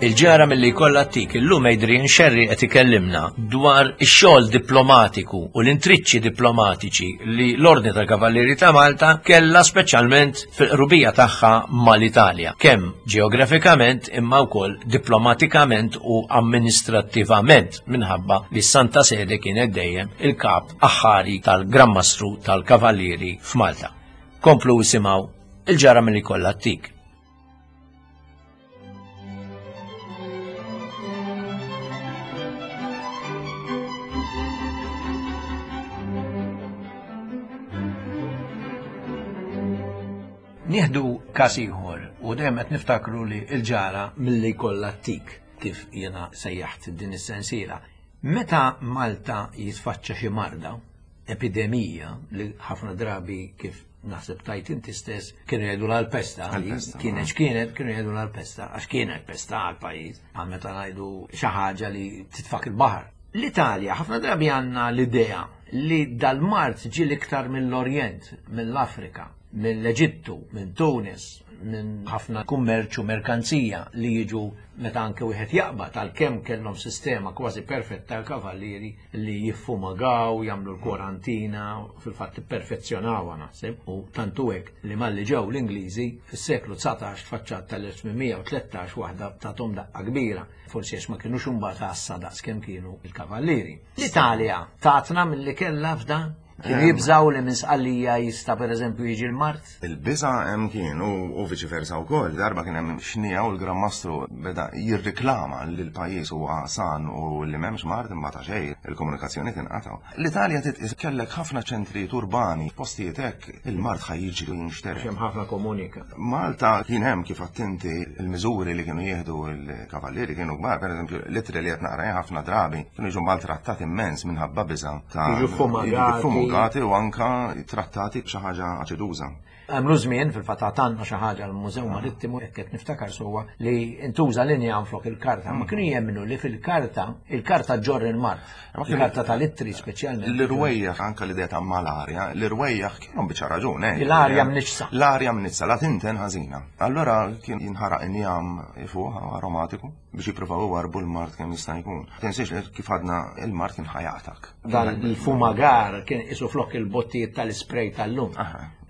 Il-ġara milli jkollha tik illum Adrian Scerri qed ikellimna dwar ix-xogħol diplomatiku u l-intriċċi diplomatiċi li l-Ordni tal-Kavallieri ta' Malta kellha speċjalment fil-qrubija tagħha mal-Italja, kemm ġeografikament imma wkoll diplomatikament u amministrattivament minħabba li s-Santa Sede kienet dejjem il-kap aħħari tal-Gran Mastru tal-Kavallieri f'Malta. Komplu isimgħu il-ġara milli jkollha ttik. Nieħdu każ ieħor u dejjem qed niftakru li l-ġara milli jkollha tik kif jiena sejjaħt din is-sensiela. Meta Malta jitfaċċa xi marda, epidemija li ħafna drabi kif naħseb tajt inti stess kienu jgħidu l-pesta, kienet x'kienet kienu jgħidu l-pesta għax kienet pesta għal-pajjiż, għal meta ngħidu xi ħaġa li titfak il-baħar. L-Italja ħafna drabi għandna l-idea li dal-mart ġie l-iktar mill-Orjent, mill-Afrika, mill-Eġittu, minn Tunis, minn ħafna kummerċ u merkanzija li jiġu meta anke wieħed jaqbad għalkemm kellhom sistema kważi perfetta l-kavallieri li jiffumagaw, jagħmlu l-kwarantina, fil-fatt ipperfezzjonawha naħseb u tantu hekk li malli ġew l-Ingliżi fis-seklu 19 tfaċċat tal-1813 waħda tagħthom daqqa kbira, forsi għax ma kinux imbagħad għassa daqs kemm kienu l-kavallieri. L-Italja tatna milli kellha f'dan? Kienu jibżaw li minn Sqallija jista' pereżempju jiġi l-mard? Il-biża' hemm kien u viċi versa wkoll. Darba kien hemm xniegħa u l-Gran Mastru beda jirriklama li l-pajjiż huwa san u li m'hemmx mard imma ta' xejn, il-komunikazzjoni tinqata'. L-Italja titqis kellek ħafna ċentrijiet urbani, postijiet hekk il-mard ħa jiġri u jinxtered. Għax hemm ħafna komunika. Malta kien hemm kif għedt inti l-miżuri li kienu jieħdu l-kavallieri kienu kbar, pereżempju l-ittri li qed naqra jien ħafna drabi kienu jiġu maltrattati immens minħabba biża' ta' Jiġu fumagati. Fumugati u anka trattati b'xi ħaġa aċiduża. Għamlu żmien fil-fatt għatanna xi ħaġa l-Mużew Marittimu jekk qed niftakar sewwa li ntuża linja flok il-karta, ma kienu jemmnu li fil-karta il-karta ġorr il-mard. Il-karta tal-ittri speċjalment. L-irwejjaħ anka l-idea ta' malarja, l-irwejjaħ kienu biċa raġun, eh. L-arja mniġsa. L-arja mniġsa, la tinten ħażina. Allora kien jinħaraq injam fuq aromatiku. biex jippruvaw iwarrbu l-mard kemm jista' jkun. Tinsiex li kif għadna il-mard kien ħajaqtak. Dan il-fumagar kien isu flok il-bottijiet tal-ispray tal-lum.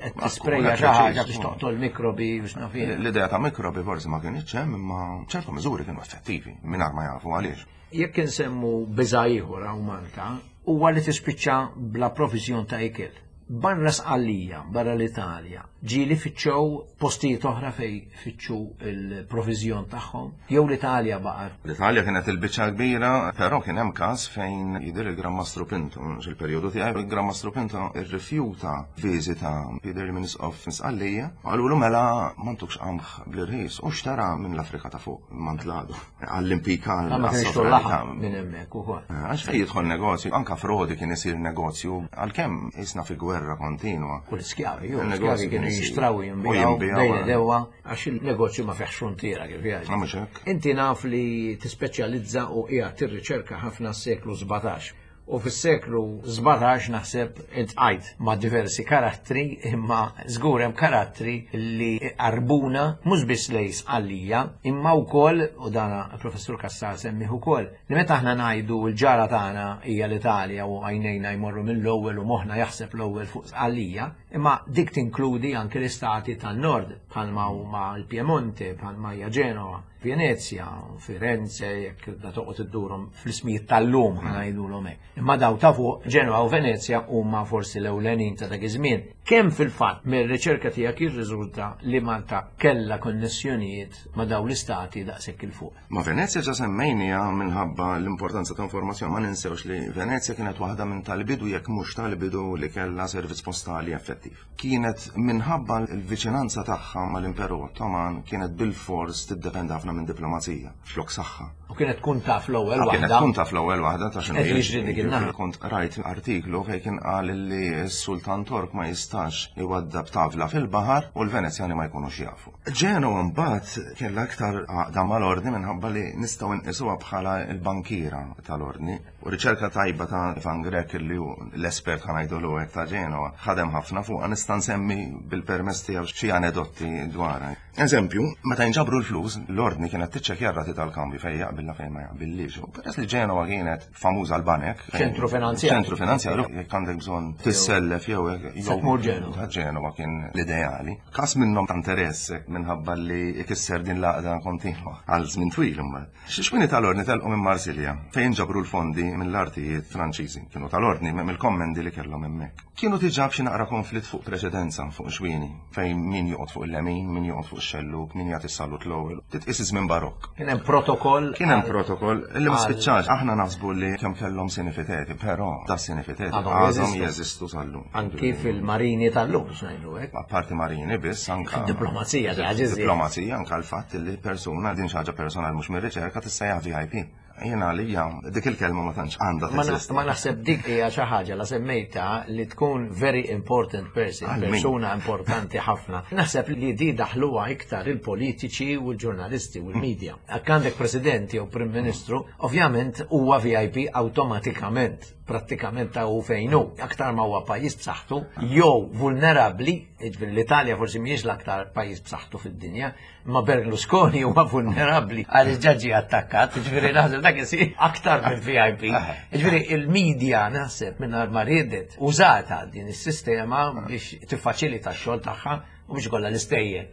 Qed tisprejja xi ħaġa biex toqtol mikrobi biex naf jien. L-idea ta' mikrobi forsi ma kienx hemm imma ċertu miżuri kienu effettivi mingħajr ma jafu għaliex. Jekk insemmu biża' ieħor hawn Malta, huwa li tispiċċa bla proviżjon ta' ikel. Barra Sqallija, barra l-Italja, ġieli fittxew postijiet oħra fej fittxu il-proviżjon tagħhom, jew l-Italja baqgħet. L-Italja kienet il-biċċa kbira, però kien hemm każ fejn jidher il-Gran Mastru Pinto, mhux il-perjodu tiegħi, il-Gran Mastru Pinto rrifjuta viżita jidher minn isqof Sqallija, qalulu mela ma ntukx qamħ bl-irħis u xtara minn l-Afrika ta' fuq, mantladu. Għall-impika Ma kienx laħam minn hemmhekk ukoll. Eh, għax fejn jidħol negozju, anka frodi kien isir negozju, għalkemm isna fi gwerra kontinwa. U l-iskjavi, ju, l-iskjavi kienu jixtraw jinbijaw bejn dewa għax il-negozju ma fiħx frontiera kif jgħid. Ah, Inti naf li tispeċjalizza u qiegħed tirriċerka ħafna s-seklu 17. U fis-seklu 17 naħseb iltqajt ma' diversi karattri imma żgur hemm karattri li qarbuna mhux biss lejn Sqallija imma wkoll, u dana l-Professur Cassar semmih ukoll, li meta aħna ngħidu l-ġara tagħna hija l-Italja u għajnejna jmorru mill-ewwel u moħħna jaħseb l-ewwel fuq Sqallija, imma dik tinkludi anke l-istati tan-Nord bħalma huma l-Piemonte, bħalma hija Ġenova. Venezja, Firenze, jekk da toqgħod iddurhom fl-ismijiet tal-lum ħa ngħidulhom hekk. Imma daw ta' fuq Ġenwa u Venezja huma forsi l-ewlenin ta' dak iż-żmien. Kemm fil-fatt mir-riċerka tiegħek jirriżulta li Malta kellha konnessjonijiet ma' dawn l-istati daqshekk 'il fuq? Ma' Venezja ġa semmejniha minħabba l-importanza ta' informazzjoni. Ma ninsewx li Venezja kienet waħda minn tal-bidu jekk mhux tal-bidu li kellha servizz postali effettiv. Kienet minħabba l-viċinanza tagħha mal-Imperu Ottoman kienet bilfors tiddependi ħafna minn diplomazija flok saħħa. U kienet tkun taf l-ewwel waħda. Kienet tkun taf l-ewwel waħda ta' x'inhu jiġri dik in-naħa. Kont rajt artiklu fejn kien qal li s-Sultan Tork ma jistax iwaddab tavla fil-baħar u l-Venezjani ma jkunux jafu. Ġenwa mbagħad kellha aktar għaqda mal-Ordni minħabba li nistgħu nqisuha bħala l-bankiera tal-Ordni. U riċerka tajba ta' Ivan Grech li hu l-espert ħa ngħidulu hekk ta' Ġenova, ħadem ħafna fuqha nista' nsemmi bil-permess tiegħu xi anedotti dwarha. Eżempju, meta jinġabru l-flus, l-ordni kienet tiċċekkja r-rati tal-kambju fejn jaqbilha fejn ma jaqbillix. U peress li Ġenova kienet famuża l-banek. Ċentru finanzjarju. Ċentru finanzjarju, jekk għandek bżonn tissellef jew hekk. Se tmur Ġenova. Ġenova kien l-ideali. Każ minnhom ta' interess minħabba li ikisser din l-għaqda kontinwa għal żmien twil imbagħad. Xi tal-Ordni telqu minn Marsilja, fejn ġabru l-fondi mill-artijiet Franċiżi. Kienu tal-Ordni mill-kommendi li kellhom hemmhekk. Kienu diġà b'xi naqra konflitt fuq preċedenza fuq xwieni, fejn min joqgħod fuq il-lemin, min joqgħod fuq ix-xellug, min jagħti s-salut l-ewwel. Titqies iż-żmien Barokk. Kien hemm protokoll. Kien hemm hemm protokoll li ma spiċċax. Aħna naħsbu li kemm kellhom sinifiteti, però da sinifiteti għadhom jeżistu sal-lum. Anki fil-marini tal-lum, biex ngħidu hekk. Apparti marini biss anka. Diplomazija, Diplomazija anka l-fatt li persuna din xi ħaġa personali mhux mir-riċerka tista' VIP. Jiena għalija dik il-kelma ma tantx għandha teżisti. Ma naħseb dik hija xi ħaġa la semmejta li tkun very important person, persuna importanti ħafna. Naħseb li di daħluha iktar il-politiċi u l-ġurnalisti u l-media. Jekk għandek president jew prim ministru, ovvjament huwa VIP awtomatikament, prattikament ta' hu fejn hu. Aktar ma huwa pajjiż b'saħħtu jew vulnerabbli, jiġifieri l-Italja forsi mhijiex l-aktar pajjiż b'saħħtu fid-dinja, Ma Berlusconi huwa vulnerabbli għaliex ġaġi attakkat, ġifieri naħseb dak isir aktar minn VIP. Ġifieri il-media naħseb mingħajr ma riedet użata din is-sistema biex tiffaċilita x-xogħol tagħha u biex kollha l-istejjer.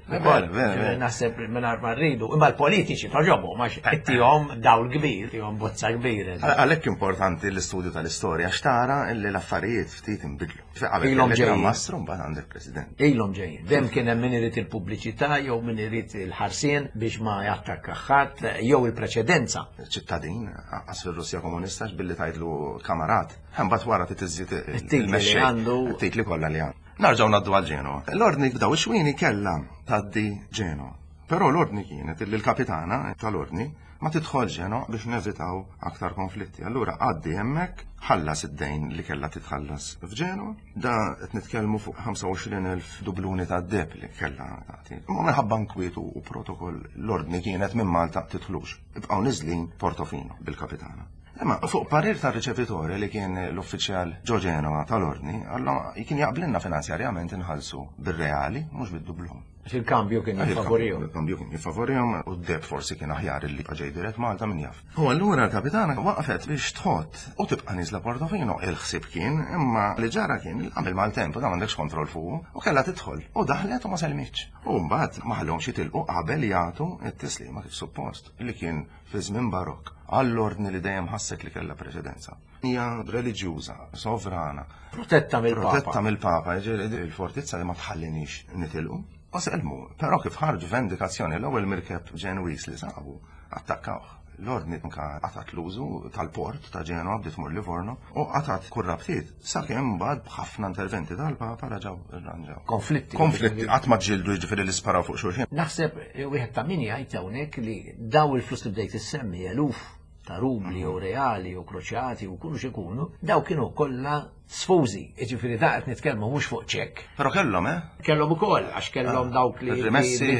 Naħseb mingħajr ma rridu, imma l-politiċi toġobhom għax ittihom dawl kbir, tihom bozza kbira. Għalhekk importanti l-istudju tal-istorja x'tara li l-affarijiet ftit inbidlu. Ilhom ġejjin. Mastru mbagħad għandek president. Ilhom ġejjin. Dem kien hemm min irid il-pubbliċità jew min irid il-ħarsien biex ma jattakka ħadd jew il-preċedenza. Ċittadin, qas fir-Russja komunista billi tgħidlu kamarat. Imbagħad wara titiżżid il-titli għandu. Titli kollha li għandu. Narġgħu ngħaddu għal Ġenova. L-ordni b'daw ix-xwieni kellha tgħaddi Ġenova. Però l-ordni kienet li l-kapitana tal-ordni ma tidħolx Ġenova biex nevitaw aktar konflitti. Allura għaddi hemmhekk, ħallas id-dejn li kellha titħallas f'Ġenova. Da qed nitkellmu fuq 25,000 dubluni ta' deb li kellha tagħti. Imma minħabba nkwiet u protokoll l-ordni kienet minn Malta tidħlux. Ibqgħu niżlin Portofino bil-kapitana. Imma fuq parir tar-riċevitore li kien l-uffiċjal ġo Ġenova tal-ordni, alla kien jaqblilna finanzjarjament inħallsu bir-reali mhux bid-dublun. Għax il-kambju kien jiffavorihom. Il-kambju kien jiffavorihom u d-deb forsi kien aħjar li ġej dirett Malta min jaf. U allura l-kapitana waqfet biex tħott u tibqa' niżla Portofino. Il-ħsieb kien imma li ġara kien li għamel maltemp u da m'għandekx kontroll fuqu u kellha tidħol u daħlet u ma selmitx. U mbagħad ma ħallhomx jitilqu qabel jagħtu t-tislima kif suppost li kien fi żmien Barokk għall-ordni li dejjem ħasset li kellha preċedenza. Hija reliġjuża, sovrana. Protetta mill-Papa. Protetta mill-Papa, jiġifieri il-fortizza li ma tħallinix nitilqu. U selmu, però kif ħarġu vendikazzjoni l-ewwel mirkeb Ġenwiż li sabu, attakkawh. L-ordni anka qatgħet l-użu tal-port ta' Ġenwa bdiet tmur Livorno u qatgħet kull rabtiet sakemm mbagħad b'ħafna interventi tal-Papa raġgħu rranġaw. Konflitti. Konflitti, qatt ma ġġieldu jiġifieri li sparaw fuq xulxin. Naħseb wieħed ta' min jgħid hawnhekk li daw il-flus li bdejt issemmi eluf ta' rubli jew reali jew kroċjati u kunu x'ikunu, daw kienu kollha sfużi, jiġifieri da qed nitkellmu mhux fuq ċekk. Però kellhom, eh? Kellhom ukoll għax kellhom ah, dawk li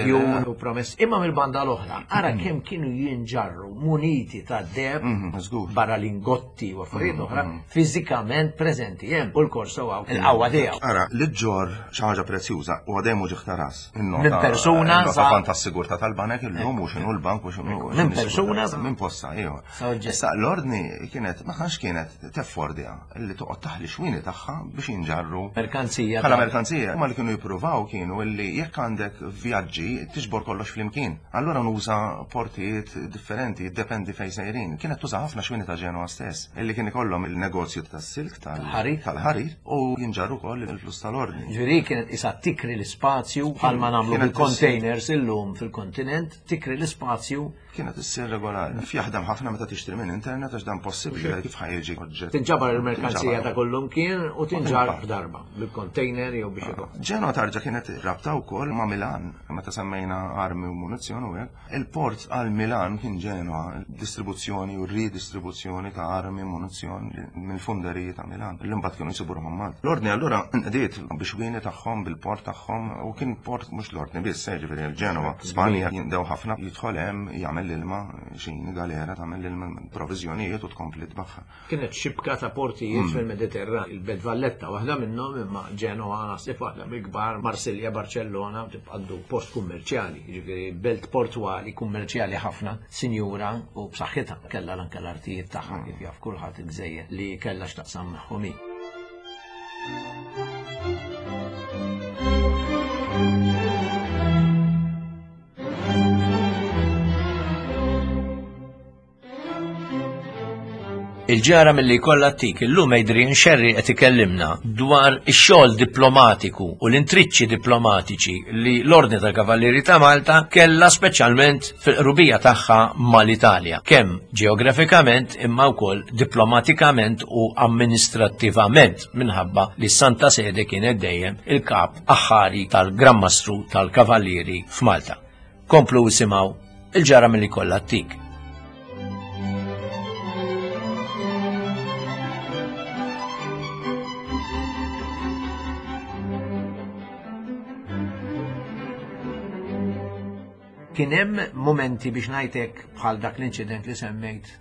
djun u promessi. Imma mill-banda l-oħra, ara mm. kemm kienu jinġarru muniti ta' deb mm, barra lingotti u affarijiet mm, oħra fiżikament preżenti hemm u l-korso għaw il-qawwa tiegħu. Ara, li ġġor xi ħaġa prezzjuża u għadem u ġiħta ras. Minn persuna. Nota kont tas-sigurtà tal-banek illum u x'inhu l-bank u x'inhu. Minn persuna. Minn posta, iva. Issa l-ordni kienet ma tantx kienet teffordja li toqgħod taħli xwini tagħha biex jinġarru. Merkanzija. Bħala merkanzija. Huma li kienu jippruvaw kienu li jekk għandek vjaġġi tiġbor kollox flimkien. Allura nuża portijiet differenti, jiddependi fejn sejrin. Kienet tuża ħafna xwini ta' Ġenoa stess, illi kien ikollhom il-negozju tas-silk tal-ħarir u jinġarru wkoll il-flus tal-ordni. Ġifieri kienet isa tikri l-ispazju bħalma nagħmlu bil-containers illum fil-kontinent, tikri l-ispazju. Kienet issir regolari. Fjaħdem ħafna meta tixtri minn internet għax dan possibbli kif ħajġi oġġett. Tinġabar il-merkanzija ta' kullum kien u tinġar f'darba bil-container jew biex ikun. Ġenoa tarġa kienet rabta wkoll ma' Milan meta semmejna armi u munizzjon u hekk. Il-port għal Milan kien Ġenoa, distribuzzjoni u ridistribuzzjoni ta' armi, munizzjon mill-funderiji ta' Milan, li mbagħad kienu jsibu ruħhom Malta. L-Ordni allura nqdiet bix-xwieni tagħhom, bil-port tagħhom, u kien port mhux l-Ordni biss, eh, ġifieri l-Ġenoa, Spanja jinqdew ħafna, jidħol hemm, jagħmel l-ilma, xini galera tagħmel l-ilma, proviżjonijiet u tkompli tbaħħar. Kienet xibka ta' portijiet mm. fil-Mediterran, il-Belt Valletta waħda minnhom imma Ġenoa naħseb waħda mill-kbar, Marsilja, Barcellona, tibqa' post kummerċjali, jiġifieri belt portwali kummerċjali ħafna, sinjura u b'saħħitha kellha anke l-artijiet tagħha mm. kif jaf kulħadd il-gżejjer li kellha x'taqsam magħhom hi. Il-ġara milli jkollha ttik illum Adrian Scerri qed ikellimna dwar ix-xogħol diplomatiku u l-intriċċi diplomatiċi li l-Ordni tal-Kavallieri ta' Malta kellha speċjalment fil-qrubija tagħha mal-Italja, kemm ġeografikament imma wkoll diplomatikament u amministrattivament minħabba li s-Santa Sede kienet dejjem il-kap aħħari tal-Gran Mastru tal-Kavallieri f'Malta. Komplu isimgħu il-ġara milli kollha ttik. Kien hemm momenti biex ngħidlek bħal dak l-inċident li semmejt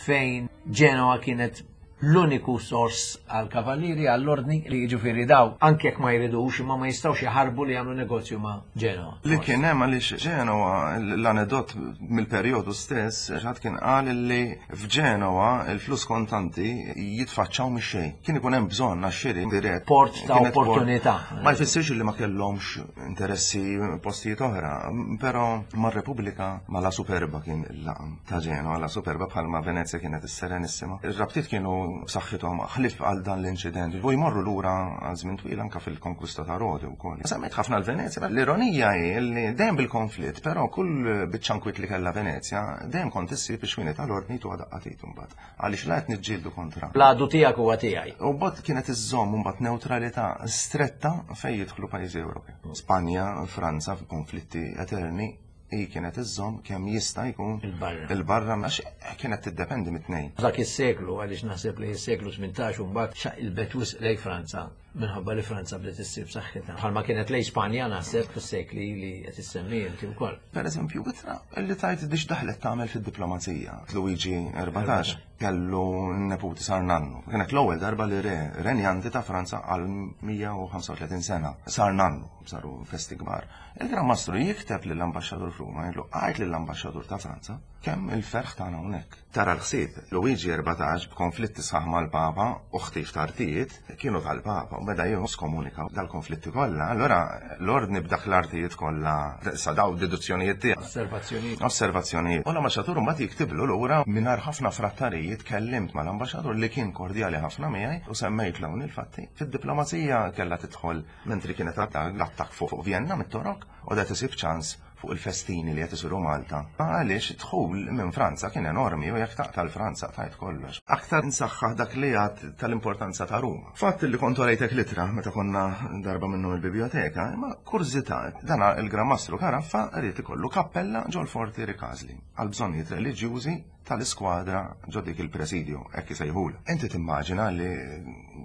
fejn Genoa kienet l-uniku sors għal kavallieri għall-ordni li jiġifieri daw anke jekk ma jridux imma ma jistgħux jaħarbu li jagħmlu negozju ma' Genoa. Li kien hemm għaliex Genoa l-anedot mill-perjodu stess ħadd kien qal li f'Ġenoa il-flus kontanti jitfaċċaw mix-xejn. Kien ikun hemm bżonn għax-xiri dirett. Port ta' opportunità. Ma jfissirx li ma kellhomx interessi postijiet oħra, però mar-Repubblika ma la Superba kien il-laqam. ta' Ġenoa, la Superba bħalma Venezja kienet is-Serenissima. Ir-rabtiet kienu b'saħħithom ħlief għal dan l-inċident u jmorru lura għal żmien twil anke fil-konkwista ta' Rodi wkoll. Semmejt ħafna l-Venezja, l-ironija hi li dejjem bil-konflitt, però kull biċċa nkwiet li kellha Venezja dejjem kont issib ix-xwieni tal-ordni tuha daqqa t'id imbagħad. Għaliex la qed niġġieldu kontra. L-għadu tiegħek huwa tiegħi. U mbagħad kienet iżżomm imbagħad newtralità stretta fejn jidħlu pajjiżi Ewropej. Spanja, Franza f'konflitti eterni hi kienet iżżomm kemm jista' jkun Il-barra. il-barra għax kienet tiddependi mit-tnejn. Dak is-seklu, għaliex naħseb li s-seklu 18 u mbagħad xaqilbet wisq lejn Franza minħabba li Franza bdiet issir b'saħħitha. Bħalma kienet lejn Spanja naħseb fis-sekli li qed issemmi inti wkoll. Per eżempju, ittra li tajt biex daħlet tagħmel fid-diplomazija. Luigi 14 kellu neputi sar nannu. Kienet l-ewwel darba li re renjanti ta' Franza għal 135 sena sar nannu, saru festi kbar. Il-Gran Mastru jikteb lill-Ambaxxatur f'Ruma, jgħidlu għid lill-Ambaxxatur ta' Franza kemm il-ferħ tagħna hawnhekk. Tara l-ħsieb, Luigi 14 b'konflitti sħaħ mal-Papa u ħtif ta' artijiet kienu tal-Papa u beda jieħu skomunika dal-konflitti kollha. Allura l-ordni b'dak l-artijiet kollha sa daw deduzzjonijiet tiegħek. Osservazzjonijiet. Osservazzjonijiet. U l-ambaxxatur mbagħad jiktiblu lura mingħajr ħafna frattarijiet kellimt mal-ambaxxatur li kien kordjali ħafna miegħi u semmejtlu hawn il-fatti. Fid-diplomazija kellha tidħol Mentri kienet għadda l-attakk fuq Vienna mit-Torok u qed isib ċans fuq il-festini li qed isiru Malta. Għaliex id-dħul minn Franza kien enormi u jekk taqta' l-Franza qtajt kollox. Aktar nsaħħaħ dak li għedt tal-importanza ta' Ruma. Fatt li kont urejtek l-ittra meta konna darba minnhom il-bibjoteka, imma kurżità, dan il-Gran Mastru Caraffa ried ikollu kappella ġol-Forti Ricasli għal bżonnijiet reliġjużi tal-iskwadra ġo dik il-presidio, hekk isejħulha. Inti timmaġina li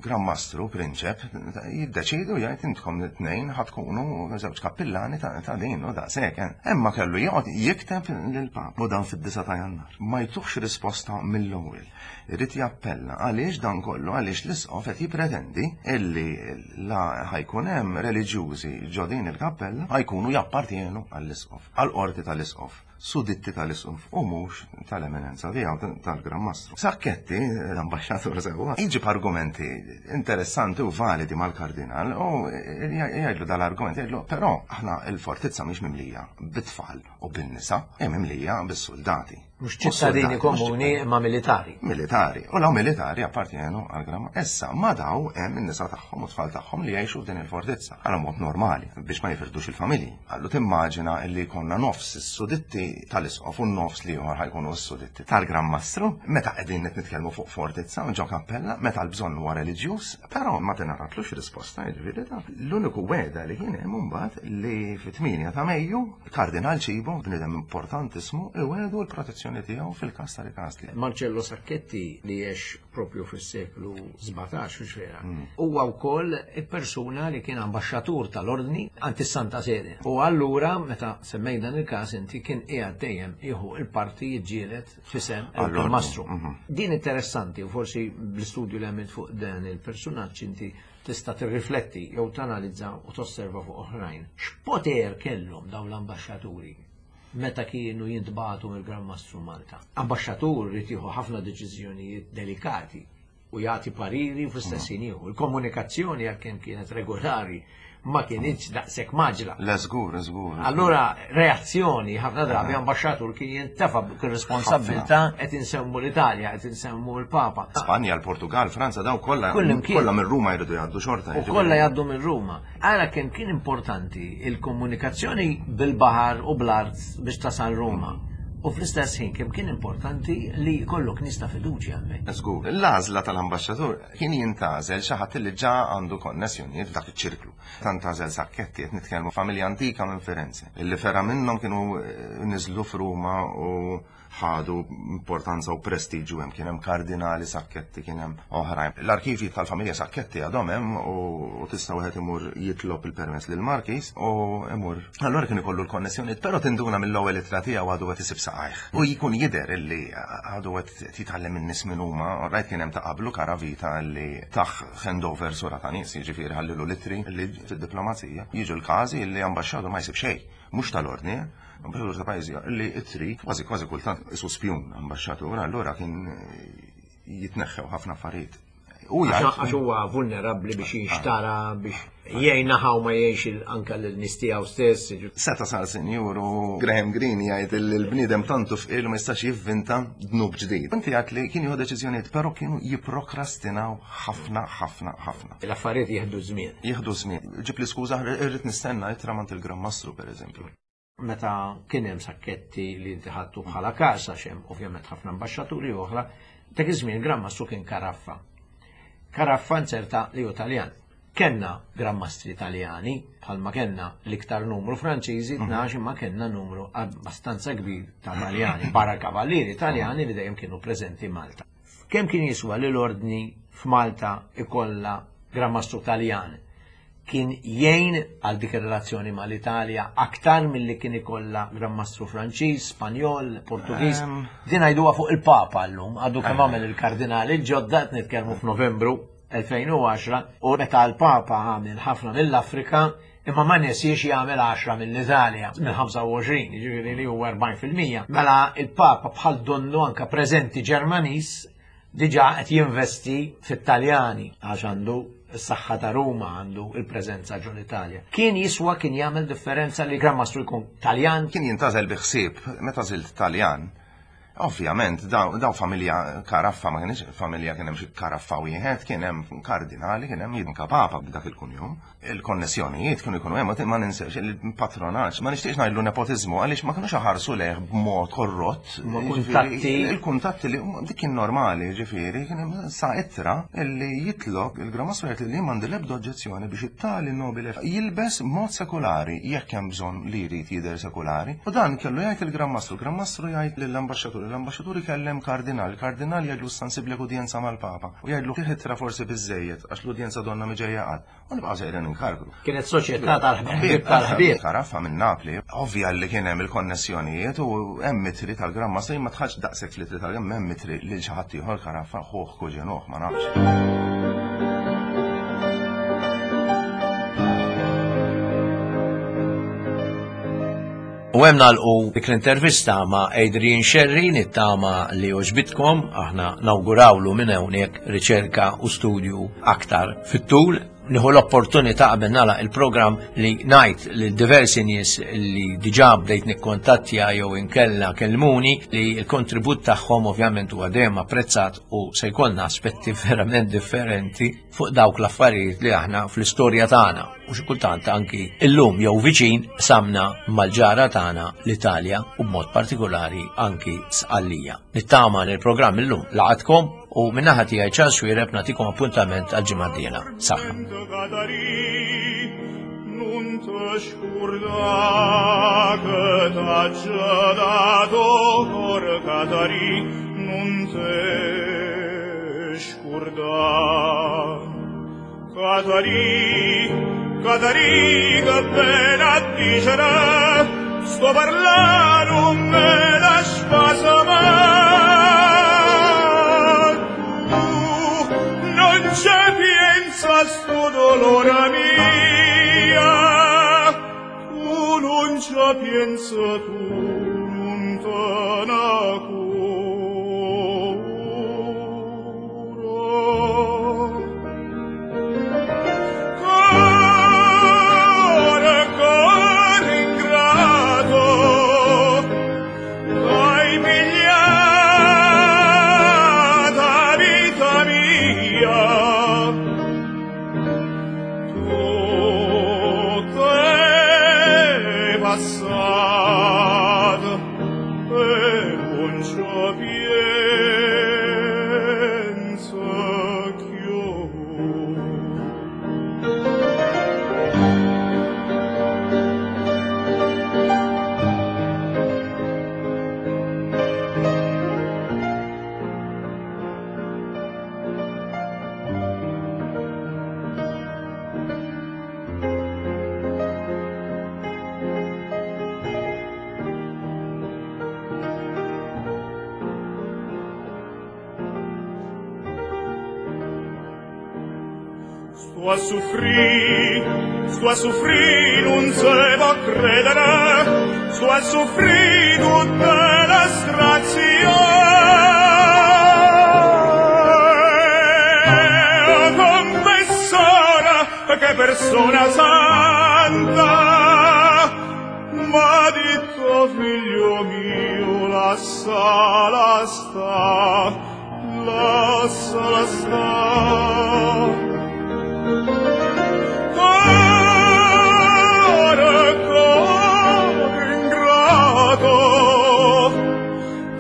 Gran Mastru, prinċep, jiddeċidu jgħid intkom it-tnejn ħa tkunu żewġ kappillani ta' din u daqshekk. Eh. Imma kellu joqgħod jikteb lill-Papa u dan fid-9 ta' Jannar. Ma jtuhx risposta mill-ewwel. Irid jappella għaliex dan kollu għaliex l-isqof qed jippretendi illi la ħajkun hemm reliġjużi ġo din il-kappella ħajkunu jappartjenu għall-isqof, għall-qorti tal-isqof. suditti tal-Isqof u mhux tal-Eminenza tiegħu tal-Gran Mastru. Sacchetti, l-ambaxxatur sewwa, jġib argumenti interessanti u validi mal-Kardinal u jgħidlu dal-argument, jgħidlu però aħna l-fortizza mhix mimlija bit-tfal u bin-nisa, hi mimlija bis-suldati. Mhux ċittadini komuni imma militari. Militari. U law militari appartjenu għal Gran Issa ma daw hemm in-nisa tagħhom u tfal tagħhom li jgħixu f'din il-fortizza. Għal mod normali biex ma jifirdux il-familji. Qallu timmaġina illi jkollna nofs is-suditti tal-isqof u n-nofs l-ieħor ħa jkunu s-suditti tal-Gran Mastru, meta qegħdin qed nitkellmu fuq fortizza ġo kappella, meta l-bżonn huwa reliġjuż, però ma tingħatatlux risposta, jiġifieri ta' l-uniku wegħda li kien hemm imbagħad li fit-8 ta' Mejju Kardinal Cibo, bniedem importantissimu, iwegħdu l-protezzjoni tiegħu fil-każ ta' Ricasli. Marcello Sacchetti li għex propju fis-seklu 17, hux vera. Hmm. Huwa wkoll persuna li kien ambaxxatur tal-ordni għand is-Santa Sede. U allura meta semmej dan il-każ inti kien qiegħed dejjem jieħu il-parti jiġġieled fisem il-mastru. Mhm. Din interessanti u forsi bl-istudju li għamilt fuq dan il-persunaġġ inti tista' tirrifletti jew tanalizza u tosserva fuq oħrajn. X'poter kellhom dawn l-ambaxxaturi meta kienu jintbagħtu mill-Gran Mastru Malta. Ambaxxatur irid jieħu ħafna deċiżjonijiet delikati u jagħti pariri u fl-istess ħin jieħu. Il-komunikazzjoni għalkemm kienet regolari ma kinitx daqshekk maġla. Le żgur, żgur. Allura reazzjoni ħafna drabi ambaxxatur kien jintefa' bir-responsabbiltà qed insemmu l-Italja, qed insemmu l-Papa. Spanja, l-Portugal, Franza, daw kollha kollha minn Ruma jridu jgħaddu xorta. U kollha jgħaddu minn Ruma. Ara kemm kien importanti il-komunikazzjoni bil-baħar u bl-art biex tasal Ruma. U fl-istess ħin kemm kien importanti li jkollok nies ta' fiduċja hemmhekk. Żgur, l-għażla tal-ambaxxatur kien jintgħażel xi ħadd li ġa għandu konnessjonijiet f'dak iċ-ċirklu. Tant għażel Sacchetti, qed nitkellmu familja antika minn Firenze, illi fergħa minnhom kienu niżlu f'Ruma u ħadu importanza u prestiġu hemm, kien hemm kardinali Sacchetti, kien hemm oħrajn. L-arkivji tal-familja Sacchetti għadhom hemm u tista' wieħed imur jitlob il-permess lill-Markis u imur. Allura kien ikollu l-konnessjonijiet, però tinduna mill-ewwel ittra tiegħu għadu qed isib saqajh. U jkun jidher illi għadu qed jitgħallem in-nies min huma, rajt kien hemm ta' qablu Caravita li tah handover sura ta' nies, jiġifieri ħallilu l-ittri li fid-diplomazija jiġu l-każi li ambaxxatur ma jsib xejn, mhux tal-ordni, ambaxxatur ta' pajjiż li ittri kważi kważi kultant isu spjun ambaxxatur, allura kien jitneħħew ħafna affarijiet. U għax huwa vulnerabbli biex jinxtara biex jgħinna ħaw ma jgħix anka l-nies tiegħu stess. Seta sar sinjur u Graham Greene jgħid li l-bniedem tantu fqir ma jistax jivvinta dnub ġdid. Inti għedt li kien jieħu deċiżjonijiet, però kienu jipprokrastinaw ħafna, ħafna, ħafna. L-affarijiet jieħdu żmien. Jieħdu żmien. Ġib li skuża, irrid nistenna ittra mant il-Gran Mastru, per eżempju. Meta kien hemm Sacchetti li inti ħadtu bħala każ għax hemm ovvjament ħafna ambaxxaturi oħra, dak iż-żmien Gran Mastru kien Caraffa. Caraffa nzerta li hu Taljan. Kenna Gran Mastri Taljani, bħalma kenna l-iktar numru Franċiżi, 12 imma kenna numru abbastanza kbir ta' Taljani, barra kavallieri Taljani li dejjem kienu preżenti Malta. Kemm kien jiswa li l-ordni f'Malta ikollha Gran Mastru Taljan? Kien jgħin għal dik ir-relazzjoni mal-Italja aktar milli kien ikollha Gran Mastru Franċiż, Spanjol, Portugiż. Din ngħiduha fuq il-Papa llum, għadu kemm għamel il-kardinali l-ġodda qed nitkellmu f'Novembru 2010 u meta l-Papa għamel ħafna mill-Afrika imma ma nesiex jagħmel 10 mill-Italja, mill-25, jiġifieri li huwa 40%. Mela il-Papa bħal donnu anka preżenti Ġermaniż diġà qed jinvesti fit-Taljani għax għandu s-saħħa ta' Ruma, għandu il-preżenza ġol Italja. Kien jiswa kien jagħmel differenza li Gran Mastru jkun Taljan? Kien jintgħażel bi ħsieb, meta żilt Taljan. Ovvjament, daw familja Caraffa ma kienx familja kien hemm xi Caraffa wieħed, kien hemm kardinali, kien hemm anke papa b'dak il-kunjom. Il-konnessjonijiet kienu jkunu hemm, ma ninsex il-patronaġġ, ma nixtieqx ngħidlu nepotiżmu għaliex ma kinux iħarsu lejh b'mod korrott. Ma kuntatti. Il-kuntatti li dik kien normali, ġifieri, kien hemm sa ittra li jitlob il-Gran Mastru jgħid li m'għandi l-ebda oġġezzjoni biex it-tali nobile jilbes mod sekulari jekk hemm bżonn li jrid jidher sekulari. U dan kellu jgħid il-Gran Mastru, il-Gran Mastru jgħid lill-ambaxxatur, l-ambaxxatur ikellem kardinal, il-kardinal jgħidlu issa nsiblek udjenza mal-Papa u jgħidlu tih ittra forsi biżżejjed għax l-udjenza donnha mhi ġejja qatt. U nibqgħu sejrin inkarkru. Kienet soċjetà tal-ħbieb tal-ħbieb. Caraffa minn Napli, ovvja li kien hemm il-konnessjonijiet u hemm itri tal-Gran Mastru, jien ma dħaltx daqshekk fl-itri tal-Gran, hemm itri lil xi ħadd ieħor Caraffa, ħuh, kuġinuh, ma nafx. U hemm nagħlqu dik l-intervista ma' Adrian Scerri nittama li għoġbitkom, aħna nawgurawlu minn hawnhekk riċerka u studju aktar fit-tul. Nieħu l-opportunità qabel nagħlaq il-programm li ngħid lil diversi nies li diġà bdejt nikkontattja jew inkella kellmuni li l-kontribut tagħhom ovvjament huwa dejjem apprezzat u se jkollna aspetti verament differenti fuq dawk l-affarijiet li aħna fl-istorja tagħna u xi kultant anki illum jew viċin samna mal-ġara tagħna l-Italja u b'mod partikolari anki Sqallija. Nittama li l-programm illum laqatkom u min-naħa tiegħi Charles Xuereb nagħtikom appuntament għal ġimgħa d-dieħla. Saħħa. Nun te scurda che t'ha dato cor Catari, nun te scurda. Catari, Catari, che pena dicere, sto parla non me la spasa ma tu non c'è piensa sto dolore mia, tu non c'è piensa tu, non te ne cura. passato e non ci penso più. Sto a soffrì, sto a soffrì, non se può credere, sto a soffrì tutta la strazione. Confessora, che persona santa, m'ha detto figlio mio, lasciala sta, lasciala sta. Cuore, cuore ingrato,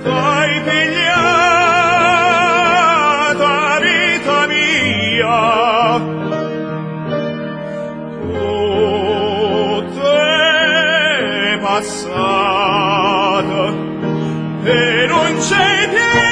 t'hai pigliata vita mia, tutto è passato e non c'è più.